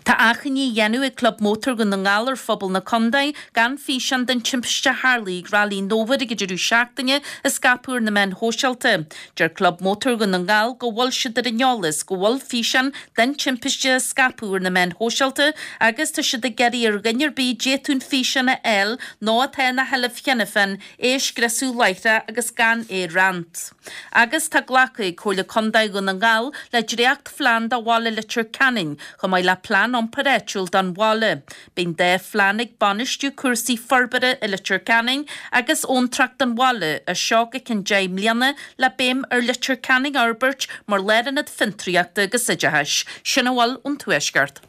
Tá achainí á dhéanamh ag Club Mótar Dhún na nGall ar phobal na contae gan físeán den timpiste a tharlaigh ag Railí an Fhómhair ag an deireadh seachtaine a scaipeadh ar na meáin shóisialta. Deir Club Mótar Dhún na nGall go bhfuil siad ar an eolas go bhfuil físeán den timpiste a scaipeadh ar na meáin shóisialta agus tá siad ag iarraidh ar dhuine ar bith a d'fhéadfadh an físeán a fháil nó atá ina sheilbh cheana féin é a scriosadh láithreach agus gan é a roinnt. Agus tá glactha ag Comhairle Contae Dhún na nGall le dréachtphlean do bhaile Leitir Ceanainn, chomh maith le plean iompair áitiúil don bhaile. Beidh an dá phlean ag bainistiú cúrsaí forbartha i Leitir Ceanainn agus abhantrach don bhaile as seo go ceann deich mbliana le béim ar Leitir Ceanainn a fhorbairt mar lárionad fiontraíochta agus oideachais. Sin a bhfuil ón Tuaisceart.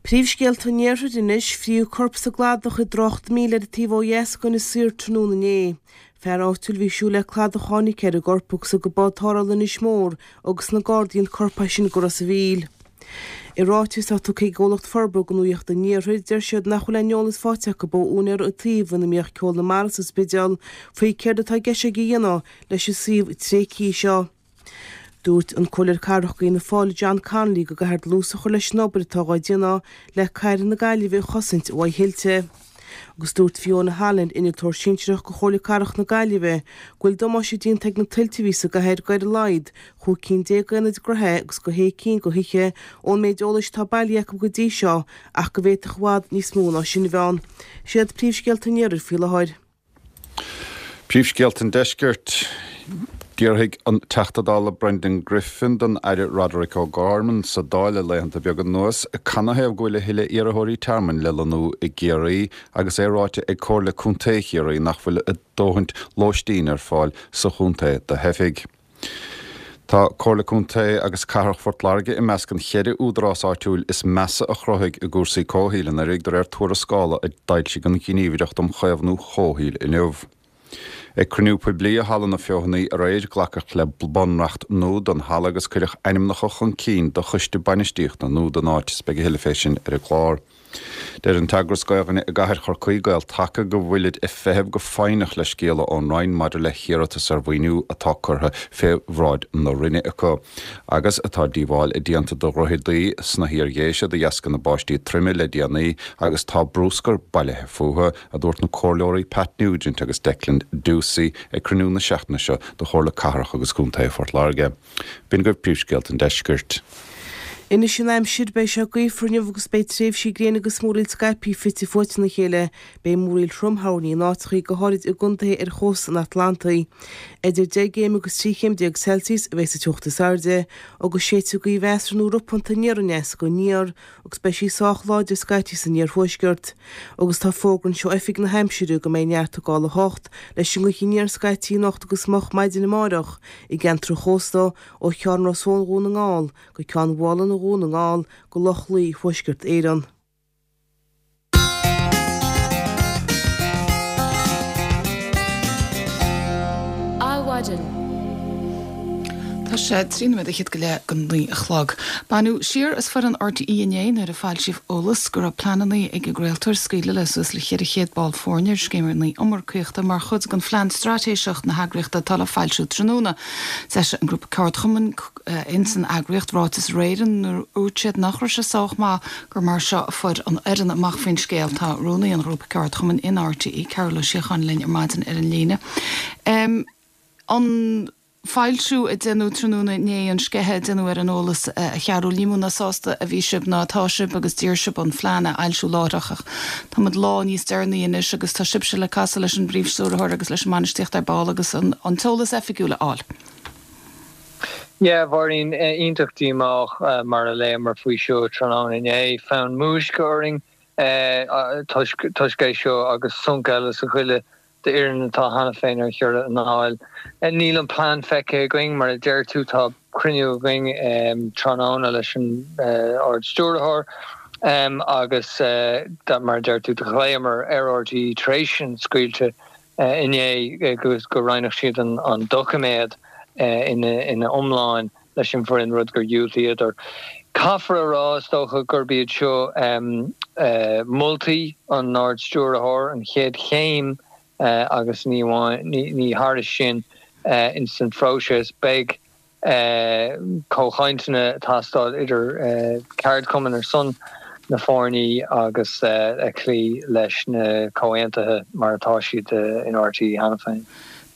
Príomhscéalta an Iarthair anois, Frítheadh corp sa gcladach i dTrácht Míle ar an taobh ó dheas d'Inis Oírr tráthnóna inné. Fear áitiúil a bhí ag siúl le cladach a tháinig ar an gcorp agus thug bád tarrthála Inis Mór agus na Gardaí an corp as sin go Ros a' Mhíl. I ráiteas atá tugtha ag comhlacht forbartha do Nuacht an Iarthair, deir siad nach bhfuil aon eolas faighte acu ó úinéir an tsuímh ina mbíodh Ceol na Mara sa Spidéal faoi céard atá i gceist aige a dhéanamh leis an suíomh tréigthe seo. Dúirt an Comhairleoir Cathrach d'Fhianna Fáil John Connolly go gcaithfear dlús a chur leis an obair atá á déanamh le cathair na Gaillimhe a chosaint uaidh thuilte. Agus dúirt Fiona Holland, innealtóir sinsearach go Chomhairle Cathrach na Gaillimhe, go bhfuil damáiste déanta ag na tuilte a bhí sa gcathair go ar a laghad chúig cinn déag d'aonaid de thithe agus go shé cinn de thithe ón méid eolais atá bailithe acu go dtí seo ach go bhféadfadh i bhfad níos mó ná sin a bheith ann. Siad príomhscéalta an iarthair faoi láthair. Príomhscéalta an Deiscirt. D'fhiafraigh an Teachta Dála Brendan Griffin den Aire Roderic O'Gorman sa Dáil le laethanta beaga anuas canathaobh go bhfuil a thuilleadh iarrthóirí tearmainn le lonnú i gCiarraí agus é ráite ag Comhairle Contae Chiarraí nach bhfuil a dóthaint lóistín ar fáil sa chontae do theifigh. Tá Comhairle Contae agus Cathrach Phort Láirge i measc an cheithre údarás áitiúil is measa a chruthaigh i gcúrsaí comhshaoil anuraidh de réir tuarascála a d'fhoilsigh an Ghníomhaireacht um Chaomhnú Comhshaoil inniu. Ag cruinniú poiblí i Halla na Feothanaí aréir, glacadh le bunreacht nua don halla agus cuireadh ainmneacha chun cinn do choiste bainistíochta nua don áit is beidh a thuilleadh fé sin ar an gclár. Deir an t-eagras Gaelainne i gcathair Chorcaí, Gael Taca, go bhfuilid ag feitheamh go foighneach le scéala ón Roinn maidir le hiarratas ar mhaoiniú atá curtha fé bhráid na Roinne acu. Agus tá díobháil déanta do dhroicheadaí sna hIar-Dhéise de dheasca na báistí troime le déanaí agus tá bruscar bailithe fúthu, a dúirt na Comhairleoirí Pat Nugent agus Declan Ducey ag cruinniú na seachtaine seo de Chomhairle Cathrach agus Contae Phort Láirge. B'in agaibh príomhscéalta an deiscirt. Anois an aimsir, beidh sé gaofar inniu agus beidh tréimhsí gréine agus múraíl scaipthe fite fuaite ina chéile. Beidh múraíl throm thoirní in áiteachaí, go háirid i gcontaetha ar chósta an Atlantaigh. Idir deich gcéim agus trí chéim déag Celsius a bheidh sa teocht is airde, agus séidfidh gaoth mheasartha nó ropánta aniar aneas go aniar agus beidh sí sách láidir scaití san iarthuaisceart. Agus tá fógra anseo ó Oifig na hAimsire go mbeidh neart ag gabháil a hocht leis an ngaoth aniar scaití anocht agus moch maidin amárach i gceantar an chósta ó Cheann Ros Eoin Dhún na nGall go Ceann Mhálanna Dhún na nGall go Loch Lao Thuaisceart Éireann. Adhmhaidin. Tá sé trí nóiméad fhichead go leith go naoi a chlog. Baineadh siar as foireann RTÉ inné nuair a foilsíodh eolas go raibh pleananna ag an gcraoltóir scaoileadh le suas le ceithre chéad ball foirne ar scéimeanna iomarcaíochta mar chuid den phlean straitéiseach na heagraíochta atá le foilsiú tráthnóna. D'eisigh an grúpa ceardchumainn ins an eagraíocht ráiteas aréir inar dhúirt siad nach raibh sé sách maith gur mar seo a fuair an fhoireann amach faoin scéal. Tá rúnaí an ghrúpa ceardchumainn in RTÉ, Cearbhall Ó Síocháin linn ar maidin ar an líne. An foilsiú a déanadh tráthnóna inné, an sceitheadh a déanadh ar an eolas a Chearbhaill, ní mó ná sásta a bhí sibh ná atá sibh agus d'iarr sibh an phlean a fhoilsiú láithreach ach tá muid lá níos deireanaí anois agus tá sibhse le casadh leis an bPríomh-Stiúrthóir agus leis an mbainistíocht ar ball agus an t-eolas oifigiúil a fháil. Yeah, Mháirín, iontach díomách mar a léamar faoi seo tráthnóna inné. Fonn múisce orainn toisc toisc é seo agus sonc eile sa ghoile d'fhoireann atá cheana féin ar chiorradh anáil. Níl an plean feicthe againn, mar a deir tú, tá cruinniú againn tráthnóna leis an Ard-Stiúrthóir agus mar a deir tú, do ghlaomar ar RTÉ tar éis an scaoilte inné go roinnfeadh siad an doiciméad ina iomláin leis an bhfoireann, rud gur dhiúltaíodar. Caithfear a rá, is dócha, gurb iad seo moltaí an Ard-Stiúrthóir, an chéad chéim agus ní ní thairis sin ins an phróiseas. Beidh comhchainteanna ag teastáil idir ceardchumainn ar son na foirne agus cloí leis na comhaontuithe mar atá siad in RTÉ cheana féin.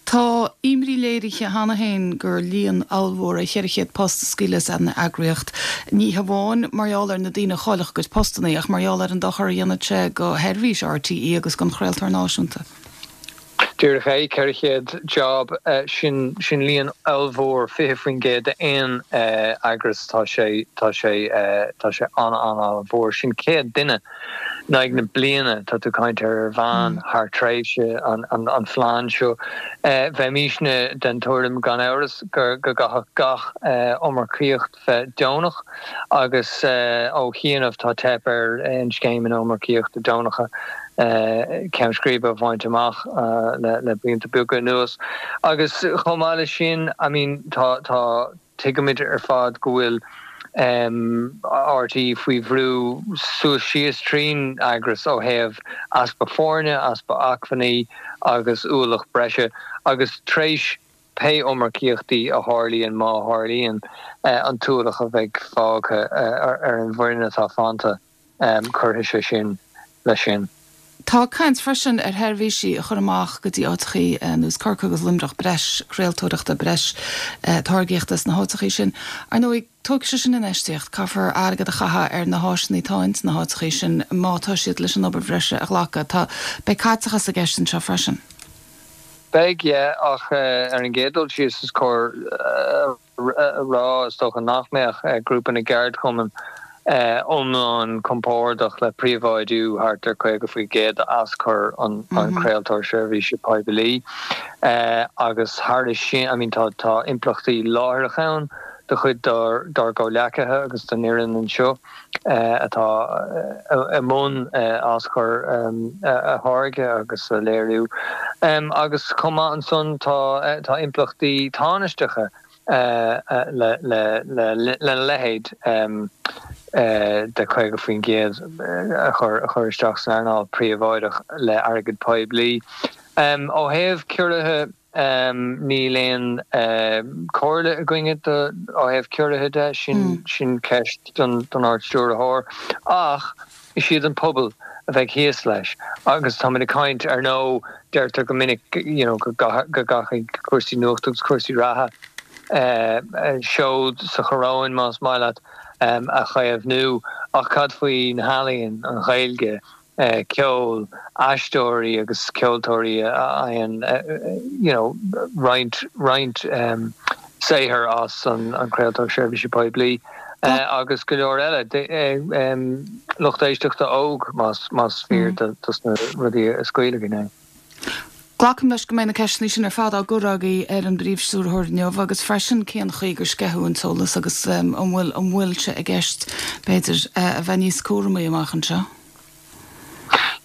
Tá imní léirithe cheana féin gur líon ollmhór é ceithre chéad post a scaoileadh as an eagraíocht, ní hamháin mar gheall ar na daoine a chaillfeadh a gcuid postanna ach mar gheall ar an dochar a dhéanfadh sé do sheirbhís RTÉ agus don chraoltóir náisiúnta. Díreach é, ceithre chéad job, sin sin líon ollmhór, fiche faoin gcéad d'aon eagras, tá sé tá sé tá sé an-an-an-mhór. Sin céad duine in aghaidh na bliana tá tú ag caint ar ar mheán thar tréimhse an an phlean seo. Bheimisne den tuairim gan amhras go go gcaithfeadh gach iomarcaíocht bheith deonach agus ó chianaibh tá teip ar aon scéimeanna iomarcaíochta deonacha ceann scríbe a bhaint amach le blianta beaga anuas. Agus chomh maith leis sin, I mean, tá, tá, tuigimid ar fad go bhfuil RTÉ faoi bhrú suas síos trín eagras ó thaobh easpa foirne, easpa acmhainní agus ualach breise agus tréis pé iomarcaíochtaí a tharlaíonn má tharlaíonn an t-ualach a bheidh fágtha ar an bhfoireann atá fanta, cuirfidh sé sin leis sin. Tá caint freisin ar sheirbhísí a chur amach go dtí áiteachaí ar nós Corcaigh agus Luimneach, breis craoltóireachta, breis táirgíochta sna háiteachaí sin. Ar ndóigh, tógfaidh sé sin infheistíocht, caithfear airgead a chaitheamh ar na háiseanna atá ins na háiteachaí sin má tá siad leis an obair bhreise a ghlacadh. Tá, beidh caiteachas i gceist anseo freisin. Beidh, yeah, ach ar an gcéad dul síos is cóir a rá is dócha nach mbeadh grúpa na gceardchumann iomlán compordach le príobháidiú thart ar caoga faoi gcéad d'aschur an chraoltóir seirbhíse poiblí agus thairis sin, I mean tá tá impleachtaí láithreach ann do chuid dár gcomhleacaithe agus don fhoireann anseo atá i mbun aschur a tháirgeadh agus a léiriú agus chomh maith ansan tá tá impleachtaí tánaisteacha lena leithéid de caoga faoin gcéad a chur isteach san earnáil phríobháideach le airgead poiblí. Ó thaobh ciorruithe, níl aon chomhairle againne ó thaobh ciorruithe de, sin ceist don Ard-Stiúrthóir. Ach is iad an pobal a bheidh thíos leis agus táimid ag caint, ar ndóigh, deirtear go minic you know go gcaithfidh cúrsaí nuachta agus cúrsaí reatha seod sa choróin, más maith leat, a chaomhnú ach cad faoi na healaíon, an Ghaeilge, ceol, aisteoirí agus ceoltóirí a fhaigheann you know roinnt roinnt saothair as an chraoltóir seirbhíse poiblí agus go leor eile, lucht éisteachta óg más más fíor dos na rudaí a scaoileadh inné. Glacaim leis go mbeidh na ceisteanna sin ar fad á gcur agaibh ar an bPríomh-Stiúrthóir inniu agus freisin cén chaoi gur sceitheadh an t-eolas agus an bhfuil an bhfuil sé i gceist b'fhéidir a bheith níos cúramaí amach anseo.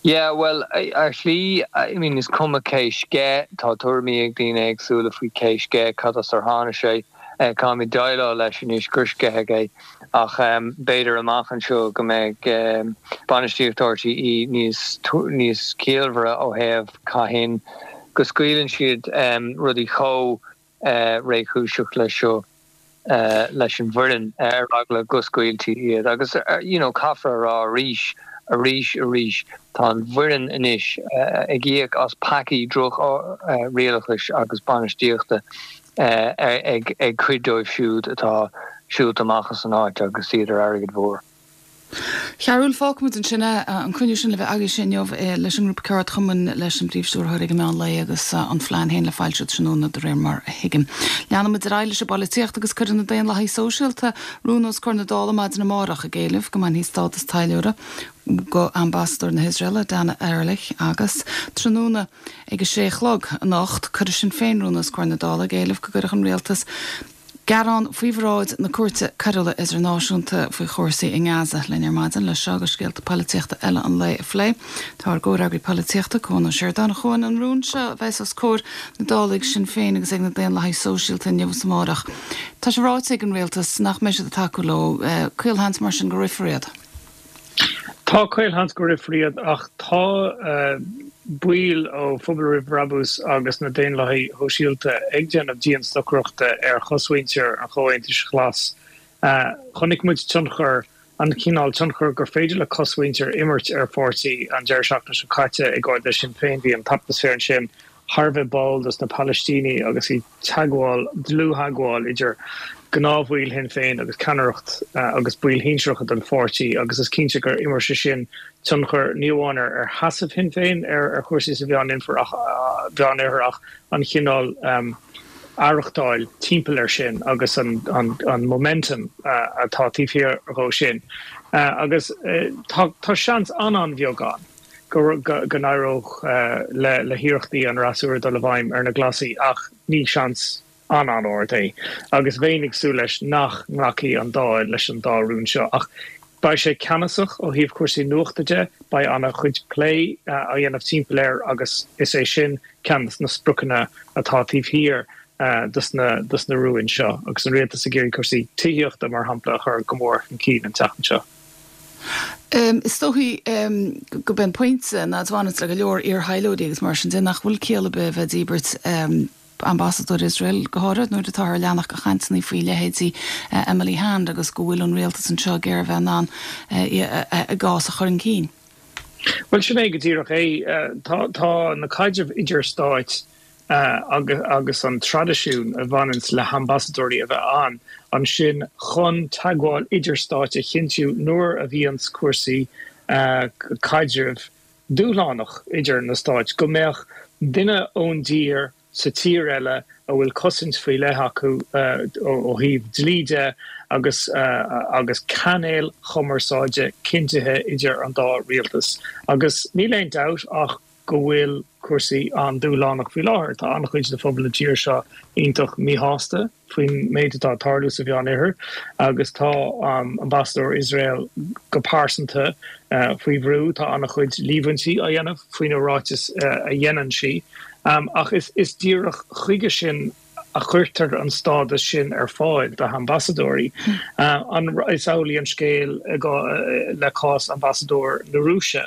Yeah, bhuel, ar shlí, I mean, is cuma cé sceith, tá tuairimí ag daoine éagsúla faoi cé sceith, cad as ar tháinig sé, caithfimid déileáil leis anois gur sceitheadh é, ach b'fhéidir amach anseo go mbeidh bainistíocht RTÉ níos níos ciallmhaire ó thaobh cathain go scaoileann siad rudaí chomh réchúiseach leis seo. leis an bhfoireann ar eagla go scaoiltí iad agus you know caithfear a rá arís, arís, arís tá an bhfoireann anois ag íoc as peacaí droch-rialachais agus bainistíochta ag ag cuid dóibh siúd atá siúlta amach as an áit agus iad ar airgead mhór. Chearúil, fágfaimid ansin é, an cruinniú sin le bheith agaibhse inniu leis an ngrúpa ceardchumainn, leis an bPríomh-Stiúrthóir ag an meán lae agus an phlean féin le foilsiú tráthnóna de réir mar a thuigim. Leanfaimid ar aghaidh leis an bpolaitíocht agus cuirfidh na Daonlathaithe Sóisialta rún os comhair na Dála maidin amárach ag éileamh go mbainfí stádas taidhleora go ambasadóir na hIosraela, Dana Erlich, agus tráthnóna ag a sé a chlog anocht cuirfidh Sinn Féin rún os comhair na Dála ag éileamh go gcuirfeadh an rialtas Gearán faoi bhráid na Cúirte Coiriúla Idirnáisiúnta faoi chúrsaí i nGaza linn ar maidin leis seo agus scéalta polaitíochta eile an lae a phlé. Tá ár gcomhfhreagraí polaitíochta, Cuan Ó Seireadáin, a Chuain, an rún seo a bheas os comhair na Dála ag Sinn Féin agus ag na Daonlathaithe Sóisialta inniu is amárach. Tá sé ráite ag an rialtas nach mbeidh siad ag tacú leo. Caolsheans mar sin go rithfear iad. Tá caolsheans go rithfear iad ach tá baill ó Phobal Roimh Bhrabús agus na Daonlathaithe Shóisialta ag déanamh dianstocaireachta ar chosmhuintir an Chomhaontais Ghlais. Chonaic muid tionchar, an cineál tionchair gur féidir le cosmhuintir imirt ar pháirtí an deireadh seachtaine seo caite ag Ard-Fheis Shinn Féin. Bhí an t-atmaisféar ansin thar a bheith báúil dos na Palaistínigh agus bhí teagmháil, dlúth-theagmháil idir gnáthbhaill Shinn Féin agus ceannaireacht agus baill shinsearacha den pháirtí agus is cinnte gur imir sé sin tionchar ní amháin ar sheasamh Shinn Féin ar chúrsaí sa Mheánoirthear ach an chineál aireachtáil timpeall air sin agus an momentum atá taobh thiar dhó sin. Agus tá seans an-an-bheag ann go n-éireodh le hiarrachtaí an fhreasúra dul i bhfeidhm ar na Glasaigh ach ní seans an-an-ard é agus bheinn ag súil leis nach nglacfaidh an Dáil leis an dá rún seo. Ach beidh sé ceannasach ó thaobh cúrsaí nuachta de, beidh an-chuid plé á dhéanamh timpeall air agus is é sin ceann de na spriocanna atá taobh thiar dos na dos na rúin seo agus an rialtas ag iarraidh cúrsaí tithíochta mar shampla a chur go mór chun cinn an tseachtain seo. Is dóichí gurb é an pointe ná a bhaineanns le go leor iar-thaidhleoirí agus mar sin de nach bhfuil ciall ar bith a bheith ag díbirt ambasadóir Iosrael go háirithe nuair atáthar ag leanacht de chainteanna faoi leithéidí Emily Hand agus go bhfuil an rialtas anseo ag iarraidh a bheith in ann a gcás a chur chun cinn. Bhuel sin é go díreach é. Tá tá na caidrimh idir-stáit agus an traidisiún a bhaineanns le hambasadóirí a bheith ann ansin chun teagmháil idir-stáit a chinntiú nuair a bhíonns cúrsaí caidrimh dúshlánach idir na stáit, go mbeadh duine ón dtír sa tír eile a bhfuil cosaint faoi leith acu ó thaobh dlí de agus agus cainéil chumarsáide cinntithe idir an dá rialtas. Agus níl aon dabht ach go bhfuil cúrsaí an-dúshlánach faoi láthair. Tá an-chuid de phobal na tíre seo iontach míshásta faoin méid atá ag tarlú sa Mheánoirthear agus tá ambasadóir Iosrael go pearsanta faoi bhrú. Tá an-chuid líomhaintí á dhéanamh faoi na ráitis a dhéanann sí. Ach is díreach chuige sin a chuirtear an stádas sin ar fáil do ambasadóirí. Is amhlaidh an scéal le cás ambasadóir na Rúise.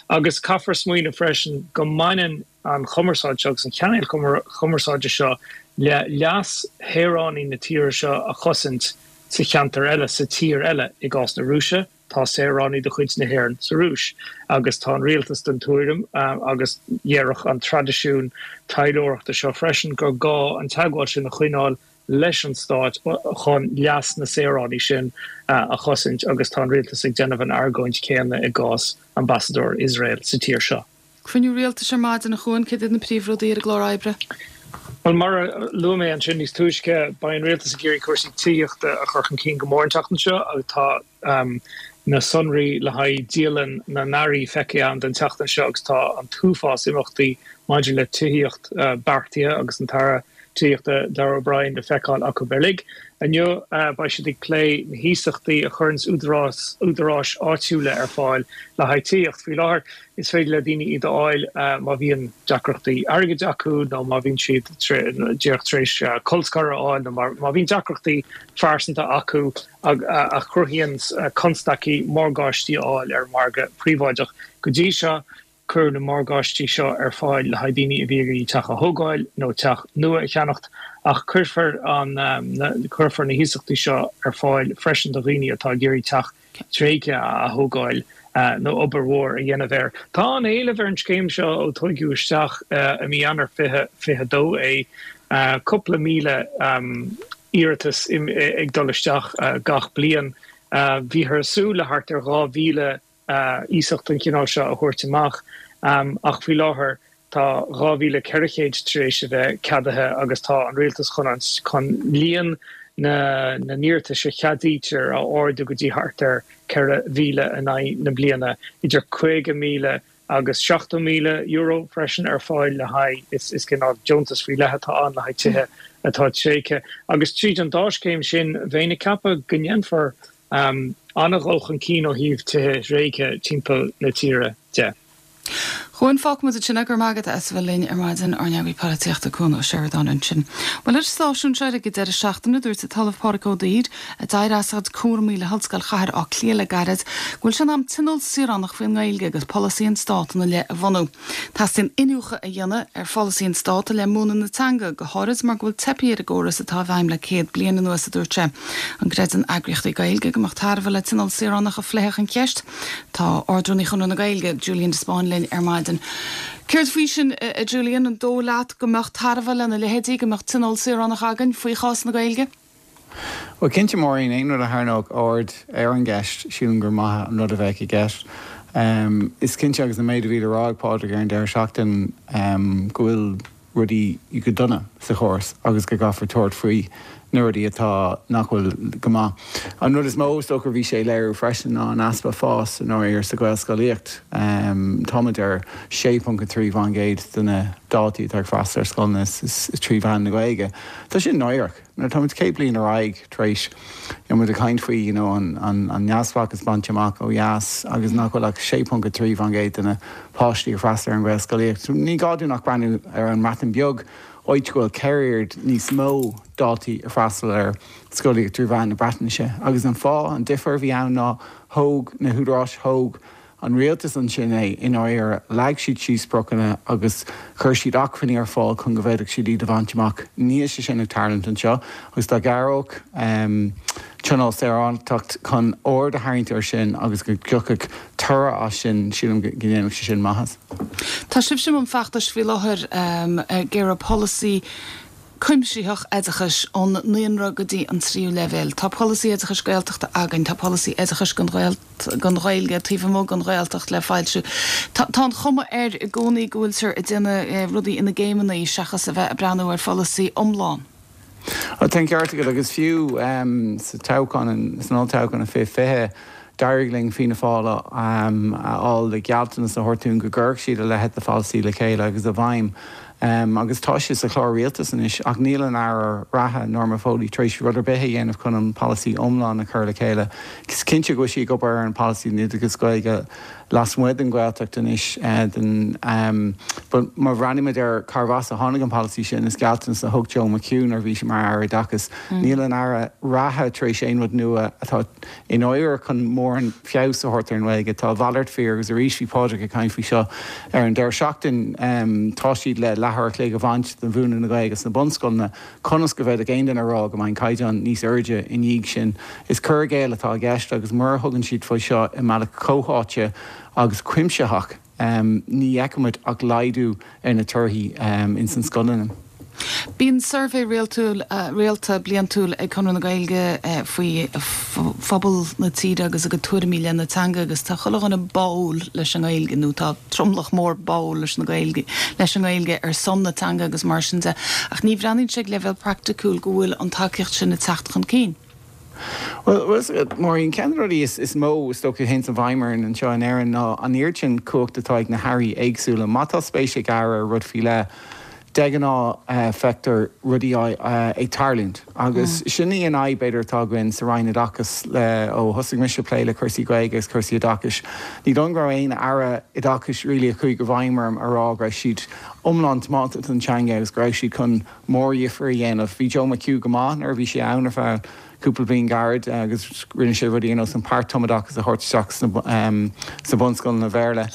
Agus caithfear smaoineamh freisin go mbaineann an chumarsáid seo agus an chainéal chumarsáide seo le leas shaoránaigh na tíre seo a chosaint sa cheantar eile, sa tír eile, i gcás na Rúise. Tá saoránaigh de chuid na hÉireann sa Rúis agus tá an rialtas den tuairim, agus déarfadh an traidisiún taidhleoireachta seo freisin, gur gá an teagmháil sin a choinneáil leis an stát chun leas na saoránaigh sin a chosaint agus tá an rialtas ag déanamh an argóint chéanna i gcás ambasadóir Iosrael sa tír seo. Cruinniú rialtais ar maidin, a Chuain, céard iad na príomhrudaí ar an gclár oibre? Bhuel, mar a luaigh mé ansin níos túisce, beidh an rialtas ag iarraidh cúrsaí tithíochta a chur chun cinn go mór an tseachtain seo agus tá na sonraí le haghaidh dialann na n-airí feicthe againn don tseachtain seo agus tá an t-uafás imeachtaí maidir le tithíocht beartaithe agus an tAire Tithíochta Darragh O'Brien le feiceáil acu uilig. Inniu beidh siad ag plé na hiasachtaí a chuireanns údaráis áitiúla ar fáil le haghaidh tithíocht. Faoi láthair is féidir le daoine iad a fháil má bhíonn deacrachtaí airgid acu nó má bhíonn siad díreach tar éis colscaradh a fháil nó má bhíonn deacrachtaí phearsanta acu a chruthaíonn constaicí morgáistí a fháil ar an margadh príobháideach. Go dtí seo Cuireadh na morgáistí seo ar fáil le haghaidh daoine a bhí ag iarraidh teach a thógáil nó teach nua a cheannacht, ach cuirfear an cuirfear na hiasachtaí seo ar fáil freisin do dhaoine atá ag iarraidh teach tréigthe a ath-thógáil nó obair mhór a dhéanamh air. Tá an-éileamh ar an scéim seo ó tugadh isteach i mí Eanáir fiche fiche dó é, cúpla míle iarratas ag dul isteach gach bliain. Bhíothar ag súil le thart ar dhá mhíle iasacht den chineál seo a thabhairt amach ach faoi láthair tá dhá mhíle ceithre chéad tar éis a bheith ceadaithe agus tá an rialtas chun an chun líon na na n-iarratais a cheadaítear a ardú go dtí thart ar ceithre mhíle in aghaidh na bliana, idir caoga míle agus seachtó míle euro freisin ar fáil le haghaidh is is cineál deontas faoi leith atá ann le haghaidh tithe atá tréigthe agus tríd an dá scéim sin bheinn ag ceapadh go ndéanfar An-dhul chun cinn ó thaobh tithe tréigthe timpeall na tíre de. Chuain, fágfaimid ansin é, go raibh maith agat as a bheith linn ar maidin, ár n-eagraí polaitíochta Cuan Ó Seireadáin ansin. Bhuel, ar an stáisiún seo ag an deireadh seachtaine, dúirt an tOllamh Pádraig Ó Duibhir, a d'éirigh as a chuid cúramaí le hOllscoil Chathair Átha Cliath le gairid, go bhfuil sé in am tionól saoránach faoin nGaeilge agus polasaí an Stát ina leith a bhunú. Teastaíonn iniúchadh a dhéanamh ar pholasaí an Stát i leith múineadh na teanga, go háirid mar go bhfuil teipthe ar an gcóras atá i bhfeidhm le céad bliain anuas, a dúirt sé. An gcreideann eagraíochtaí Gaeilge go mbeadh tairbhe le tionól saoránach a phléifeadh an cheist? Tá Ard-Rúnaí Chonradh na Gaeilge, Julian de Spáinn linn ar maidin. Céard faoi sin, a Julian, an dóigh leat go mbeadh tairbhe lena leithéidí, go mbeadh tionól saoránach againn faoi chás na Gaeilge? Bhuel, cinnte, Máirín, aon rud a tharraingeodh aird ar an gceist, sílim gur maith an rud a bheadh i gceist. Is cinnte, agus an méid a bhí le rá ag Pádraig ar an deireadh seachtain, go bhfuil rudaí go dona sa chóras agus go gcaithfear tabhairt faoi na rudaí atá nach bhfuil go maith. An rud is mó is dócha a bhí sé ag léiriú freisin ná an easpa fás i ndáiríre sa Ghaelscolaíocht. Táimid ar sé ponc a trí faoin gcéad de na daltaí atá ag freastal ar scoileanna trí mheán na Gaeilge. Tá sin náireach. Nuair atá muid céad bliain ar aghaidh tar éis, you know, muid ag caint faoi, you know, an, an, an neamhspleáchas bainte amach ó dheas agus nach bhfuil ach sé ponc a trí faoin gcéad de na páistí ag freastal ar an Ghaelscolaíocht. Ní gá dúinn ach breathnú ar an mBreatain Bheag áit go bhfuil ceithre oiread níos mó daltaí ag freastal ar scolaíocht trí mheán na Breatnaise. Agus an fáth, an difear a bhí ann ná thóg na húdaráis, thóg an rialtas ansin é i ndáiríre, leag siad síos spriocanna agus chuir siad acmhainní ar fáil chun go bhféadfadh siad iad a bhaint amach. Níl sé sin ag tarlúint anseo agus dá gcabhródh Tionól Saoránach chun aird a tharraingt air sin agus go dtiocfadh toradh as sin, sílim go ndéanfadh sé sin maitheas. Tá sibhse i mbun feachtais faoi láthair ag iarraidh polasaí cuimsitheach oideachais ón naíonra go dtí an tríú leibhéal. Tá polasaí oideachais Gaeltachta againn, tá polasaí oideachais don Ghaeilge taobh amuigh den Ghaeltacht le foilsiú. Tá an chuma air i gcónaí go bhfuiltear ag déanamh rudaí ina gcéimeanna seachas a bheith ag breathnú ar pholasaí iomlán. Tá an ceart agat agus fiú sa toghchán, san olltoghchán i fiche fiche, d'éirigh linn Fianna Fáil a fháil le gealltanas a thabhairt dúinn go gcuirfeadh siad a leithéid de pholasaí le chéile agus i bhfeidhm. Agus tá sé sa chlár rialtais anois ach níl an Aire reatha, Norma Foley, tar éis rud ar bith a dhéanamh chun an polasaí iomlán a chur le chéile. Is cinnte go bhfuil sí ag obair ar an pholasaí don oideachas Gaeilge lasmuigh den Ghaeltacht anois den but má bhreathnaímid ar cárbh as a tháinig an polasaí sin, is gealltanas a thug Joe McHugh nuair a bhí sé mar Aire Oideachais. Níl an Aire reatha tar éis aon rud nua atá i ndáiríre chun mórán feabhas a thabhairt ar an nGaeilge. Tá a mhalairt fíor agus arís bhí Pádraig ag caint faoi seo ar an deireadh seachtain. Tá siad le leathuair a chloig a bhaint de mhúineadh na Gaeilge sna bunscoileanna. Conas go bhféadfadh aon duine a rá go mbeidh an caighdeán níos airde i ndiaidh sin? Is cur i gcéill atá i gceist agus mura thugann siad faoi seo i mbealach comhtháite agus cuimsitheach, ní fheicfimid ach laghdú ar na torthaí ins na scoileanna. Bíonn suirbhé rialtúil, rialta bliantúil ag Conradh na Gaeilge faoi phobal na tíre agus a gcuid tuairimí i leith na teanga agus tá chuile dhuine báúil leis an nGaeilge nó tá tromlach mór báúil leis na Gaeilge, leis an nGaeilge ar son na teanga agus mar sin de ach ní bhreathnaíonn sé ag leibhéal praiticiúil go bhfuil an tacaíocht sin ag teacht chun cinn. Bhuel, Maureen, ceann de na rudaí is mó is dócha a théanns i bhfeidhm orainn anseo in Éirinn ná an oiread sin cumhacht atá ag na hairí éagsúla. Má tá spéis ag aire i rud faoi leith, de ghnáth feictear rudaí ag tarlúint. Agus sin í an fhadhb, b'fhéidir, atá againn sa Roinn Oideachais le ó thosaigh mise ag plé le cúrsaí Gaeilge agus cúrsaí oideachais. Ní dóigh liom go raibh aon aire oideachais really a chuaigh i bhfeidhm orm a rá go raibh siad iomlán tiomanta don teanga agus go raibh siad chun mórdhifear a dhéanamh. Bhí Joe McHugh go maith nuair a bhí sé ann ar feadh cúpla bliain gairid agus rinne sé rudaí ar nós an páirt-tumoideachas a thabhairt isteach sna bunscoileanna Bhéarla.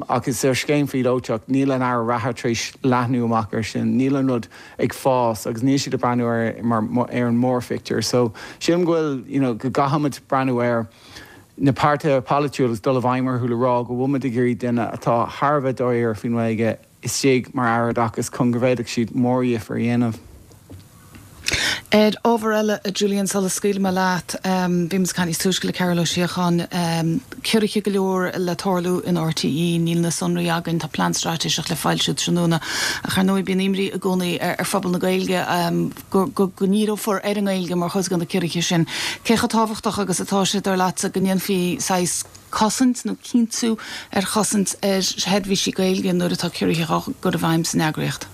Ach is ar scéim phíolótach, níl an Aire reatha tar éis leathnú amach air sin, níl an rud ag fás agus níl siad ag breathnú air mar ar an mórphictiúr. So sílim go bhfuil, you know, go gcaithfimid breathnú ar na páirtithe polaitiúla agus dul i bhfeidhm orthu le rá go bhfuil muid ag iarraidh duine atá thar a bheith dáiríre faoin nGaeilge istigh mar Aire Oideachais chun go bhféadfadh siad mórdhifear a dhéanamh. Ar ábhar eile, a Julian, sula scaoilfidh mé leat, bhí muid ag caint níos túisce le Cearbhall Ó Síocháin, ciorruithe go leor le tarlú in RTÉ, níl na sonraí againn, tá plean straitéiseach le foilsiú tráthnóna, ach ar ndóigh bíonn imní i gcónaí ar phobal na Gaeilge go go ndíreofar ar an nGaeilge mar chuid de na ciorruithe sin. Cé chomh tábhachtach agus atá sé, dar leatsa, go ndéanfaí saghas cosaint nó cinntiú ar chosaint ar sheirbhísí Gaeilge nuair atá ciorruithe á gcur i bhfeidhm san eagraíocht.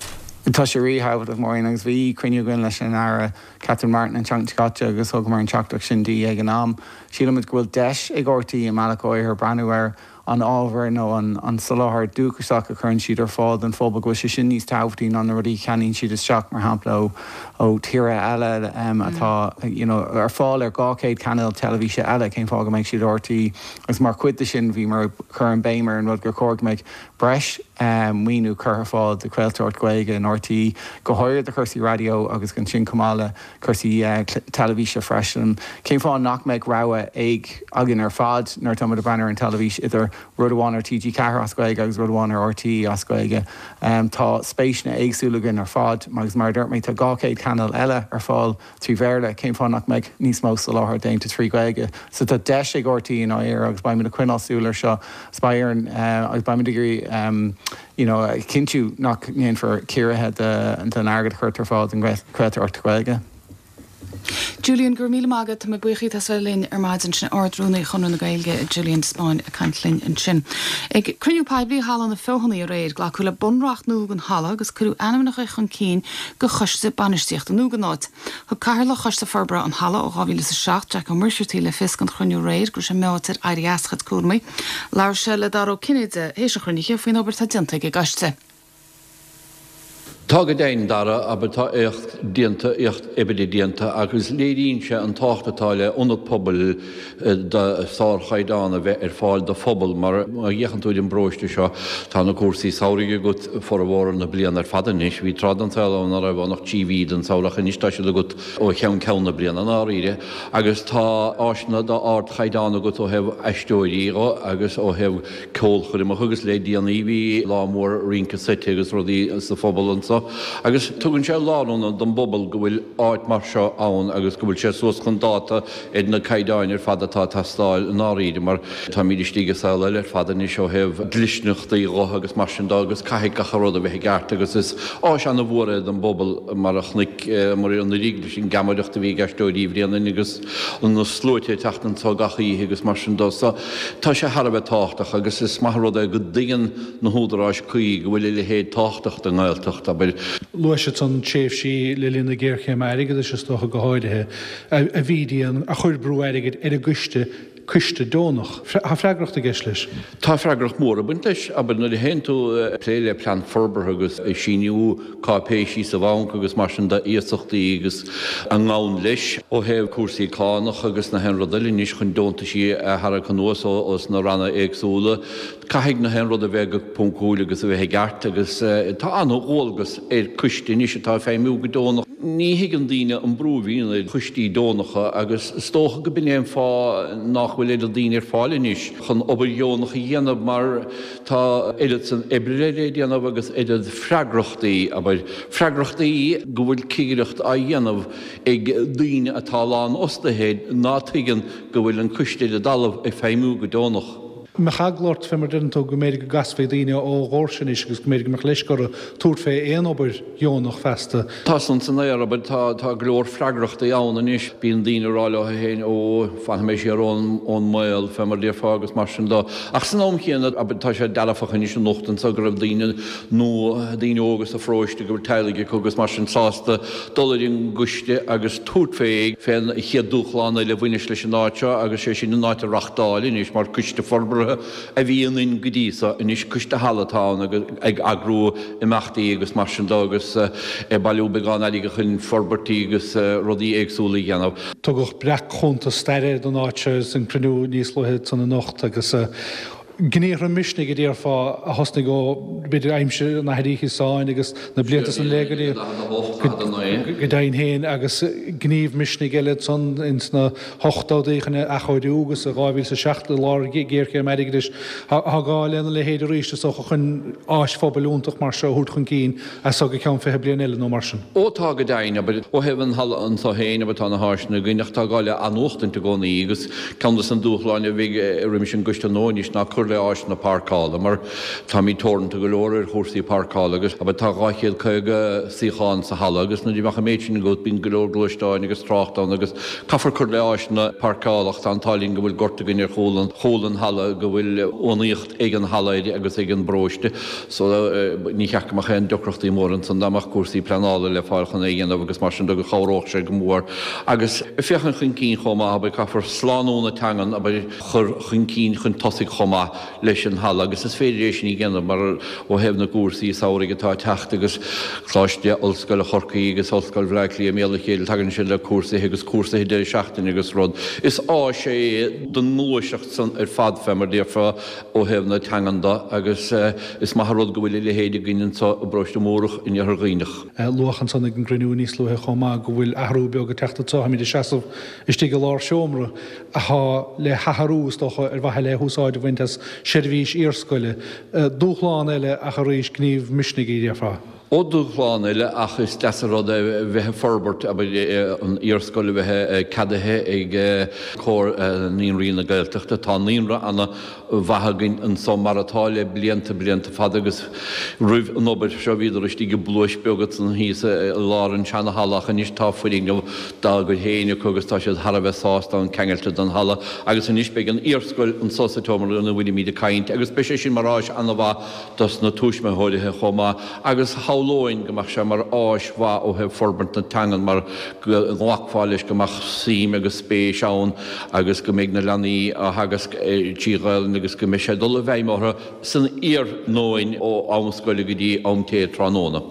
Tá sé ríthábhachtach, Máirín, agus bhí cruinniú againn leis an Aire Catherine Martin an tseachtain seo caite agus thugamar an teachtaireacht sin di ag an am. Sílimid go bhfuil deis ag RTÉ i mbealach áirithe breathnú ar an ábhar nó an soláthar dúchasach a chuireann siad ar fáil don phobal, go bhfuil sé sin níos tábhachtaí ná na rudaí a cheannaíonn siad isteach, mar shampla, ó thíortha eile atá you know ar fáil ar dhá chéad cainéal teilifíse eile, cén fáth go mbeidh siad ar RTÉ? Agus mar chuid de sin bhíomar ag cur an béim ar an rud gur chóir go mbeadh breis maoiniú curtha ar fáil do chraoltóireacht Ghaeilge in RTÉ, go háirithe do chúrsaí raidió agus ansin chomh maith le cúrsaí teilifíse freisin. Cén fáth nach mbeadh rogha ag againn ar fad nuair atá muid ag breathnú ar an teilifís idir rud amháin ar TG Ceathair as Gaeilge agus rud amháin ar RTÉ as Gaeilge? Tá spéiseanna éagsúla againn ar fad agus mar a dúirt mé tá dhá chéad cainéal eile ar fáil trí Bhéarla, cén fáth nach mbeadh níos mó soláthair déanta trí Ghaeilge? So tá deis ag RTÉ i ndáiríre agus beimid ag coinneáil súil ar seo agus beidh orainn agus beimid ag iarraidh you know a chinntiú nach ndéanfar ciorruithe don airgead a chuirtear ar fáil don chraoltóireacht Ghaeilge. Julian, Go raibh míle maith agat. Tá mé buíoch díot as bheith linn ar maidin. Sin Ard-Rúnaí Chonradh na Gaeilge, Julian de Spáinn, ag caint linn ansin. Ag cruinniú poiblí i Halla na Feothanaí aréir, glacadh le bunreacht nua don halla agus cuireadh ainmneacha chun cinn do choiste bainistíochta nua don áit. Thug Cathaoirleach Choiste Forbartha an Halla ó dhá mhíle is a seacht, Jack Ó Muircheartaigh, le fios don chruinniú aréir go raibh sé meáite ar éirí as a chuid cúramaí. Labhair sé le Dara Ó Cinnéide théis an chruinnithe faoin obair atá déanta ag an gcoiste. Tá go deimhin, Dara, abair tá éacht déanta, éacht oibre déanta agus léiríonn sé an tábhacht atá le ionad pobail de sárchaighdeán a bheith ar fáil do phobal mar má fhéachann tú ar an bparóiste seo tá na cúrsaí samhraidh agat formhór na bliana ar fad anois. Bhí tráth den saol ann nach raibh ann ach trí mhí den samhradh ach anois tá siad agat ó cheann ceann na bliana i ndáiríre agus tá áiseanna d'ardchaighdeán agat ó thaobh aisteoirí dho agus ó thaobh ceolchoirmeacha agus le déanaí bhí lá mór rince seite agus rudaí sa phobal anso agus tugann sé lárionad don bpobal go bhfuil áit mar seo ann agus go bhfuil sé suas chun dáta ar na caighdeáin ar fad atá ag teastáil i ndáiríre mar táimid istigh i saol eile ar fad anois ó thaobh dlisteanachtaí dho agus mar sin dó agus caithfidh gach rud a bheith i gceart agus is áis ana-mhór é don bpobal mar a chonaiceamar anuraidh leis an ggeamaireacht a bhí ag Aisteoirí Bhréanainn agus na sluaite ag teacht anso gach oíche agus mar sin dó so tá sé thar a bheith tábhachtach agus is maith an rud é go dtuigeann na húdaráis cuí go bhfuil a leithéid tábhachtach don nGaeltacht, abair. Luaigh siad san tréimhsí le linn na géarchéime airgeadais is dócha go háirithe, a bhí dian, a chuir brú airgid ar an gcoiste, coiste deonach. Tá freagracht i gceist leis. Tá freagracht mhór ag baint leis, abair, nuair a théann tú ag plé le plean forbartha agus ag síniú cáipéisí sa bhanc agus mar sin de, iasachtaí agus a ngabhann leis ó thaobh cúrsaí cánach agus na haon rud eile anois chun deontaisí a tharrac anuas ós na ranna éagsúla. Caithfidh na haon rud a bheith go poncúil agus a bheith i gceart agus tá an-dhualgas ar coiste anois atá ag feidhmiú go deonach. Ní thuigeann daoine an brú a bhíonn ar choistí deonacha agus is dócha go b'in é an fáth nach bhfuil oiread daoine ar fáil anois chun obair dheonach a dhéanamh mar tá oiread san oibre le déanamh agus oiread freagrachtaí, abair, freagrachtaí go bhfuil cigireacht á dhéanamh ag daoine atá lánfhostaithe ná tuigeann go bhfuil an coiste ar an dtalamh ag feidhmiú go deonach. Mbeadh eagla ort, fé mar a deireann tú, go mb'fhéidir go gcasfaí daoine ó dhóirse anois agus go mb'fhéidir go mbeadh leisce orthu tabhairt fé aon obair dheonach feasta. Tá san san aer, abair, tá, tá go leor freagrachtaí ann anois. Bíonn daoine ag rá leo féin, ó, fanfaidh mé siar ón, ón mbaol, fé mar a déarfá, agus mar sin dó. Ach san am chéanna, abair, tá sé dearfach anois anocht anso go raibh daoine nua, daoine óga sa pharóiste go bhfuil teaghlaigh acu agus mar sin sásta dul ar an gcoiste agus tabhairt fé, fén chéad dúshlán eile a bhaineas leis an áit seo agus sé sin an áit a reachtáil anois mar coiste forbartha a bhí ionainn go dtí so. Anois coiste halla atá ann agus ag eagrú imeachtaí agus mar sin dó agus ag bailiú beagán airgid chun forbairtí agus rudaí éagsúla a dhéanamh. Tugadh breac-chuntas staire don áit seo san cruinniú níos luaithe san anocht agus gníomhartha misnigh a déarfá a thosnaigh ó b'fhéidir aimsir an Athar Uí Chiosáin agus na blianta san le go dtí go deimhin féin agus gníomh misnigh eile ansan ins na hochtóidí chun athchóiriú agus i dhá mhíle is a seacht i lár géarchéim airgeadais. Tá gá lena leithéid arís is dócha chun áis phobail iontach mar seo a thabhairt chun cinn as so go ceann fiche bliain eile nó mar sin. Ó tá go deimhin, abair, ó thaobh an halla anso féin, abair, tá na háiseanna againn ach tá gá le athnuachtaint i gcónaí agus ceann de na dúshláin a bheidh roimis an gcoiste nua anois ná cur le áiseanna páirceála mar táimid teoranta go leor ar chúrsaí páirceála agus abair tá dhá chéad caoga suíochán sa halla agus nuair a bheadh an méid sin agat bíonn go leor gluaisteáin agus trácht ann agus caithfear cur le áiseanna páirceála ach tá an t-ádh linn go bhfuil gort againn ar chúl an chúl an halla go bhfuil uanaíocht ag an halla air agus ag an bparóiste so ní cheart go mbeadh aon deacrachtaí móra ansan dá mbeadh cúrsaí pleanála le fáil chun é a dhéanamh agus mar sin de go chabhródh sé go mór agus féachaint chun cinn chomh maith abair caithfear slánú na teangan abair chur chun cinn chun tosaigh chomh maith leis an halla agus is féidir é sin a dhéanamh mar ó thaobh na gcúrsaí samhraidh atá ag teacht agus Coláiste Ollscoile Chorcaí agus Ollscoil Bhaile Átha Cliath i mbéal a chéile tagann siad le cúrsaithe agus cúrsaithe deireadh seachtaine agus rud. Is áis é don ngluaiseacht san ar fad fé mar déarfá ó thaobh na teangan de agus is maith an rud go bhfuil a leithéid againn anso i bparóiste Múrach in Iarthar Dhuibhneach. Luadh ansan ag an gcruinniú níos luaithe chomh maith go bhfuil athrú beag ag teacht anso, táimid ag seasamh istigh i lár seomra atá le hathrú, is dócha, ar mhaithe le húsáid a bhaint as seirbhís iarscoile. Dúshlán eile ach arís gníomh misnigh, a déarfá. Ó, dúshlán eile ach is deas an rud é bheith ag forbairt, abair, an iarscoil a bheith ceadaithe ag Comhar Naíonraí na Gaeltachta. Tá naíonra ana mhaith againn anso mar atá le blianta, blianta fada agus roimh an obair seo bhíodar istigh i bpluais beag ansan thíos i lár an seana halla ach anois tá foirgneamh dá gcuid féin acu agus tá siad thar a bheith sásta ann ceangailte don halla agus anois beidh an iarscoil anso sa tseomra ina bhfuilimíd ag caint agus beidh sé sin mar áis ana-mhaith dos na tuismitheoirithe chomh maith agus shamhlóinn go mbeadh sé mar áis mhaith ó thaobh forbairt na teangan mar go nglacfá leis go mbeadh suim agus spéis ann agus go mbeidh na leanaí á theagasc trí Ghaelainn agus go mbeidh sé ag dul i bhfeidhm orthu san iarnóin ó am scoile go dtí am tae tráthnóna.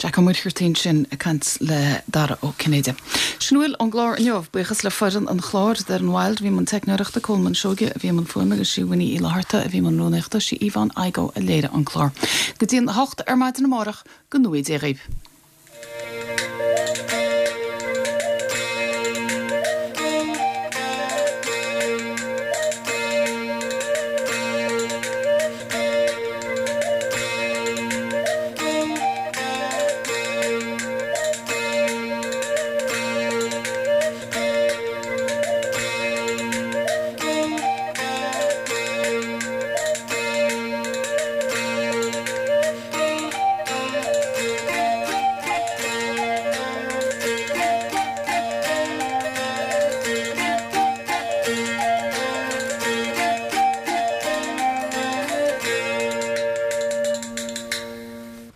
Jack Ó Muircheartaigh ansin ag caint le Dara Ó Cinnéide. Sin a bhfuil ón gclár inniu, buíochas le foireann an chláir, Darren Wilde a bhí i mbun teicneoireachta, Colman Seoige a bhí i mbun fuaime agus sí Winnie Uí Fhlatharta a bhí i mbun rúnaíochta, sí Yvonne Igoe a léirigh an clár. Go dtí an hocht ar maidin amárach, go ngnóthaí Dia dhaoibh.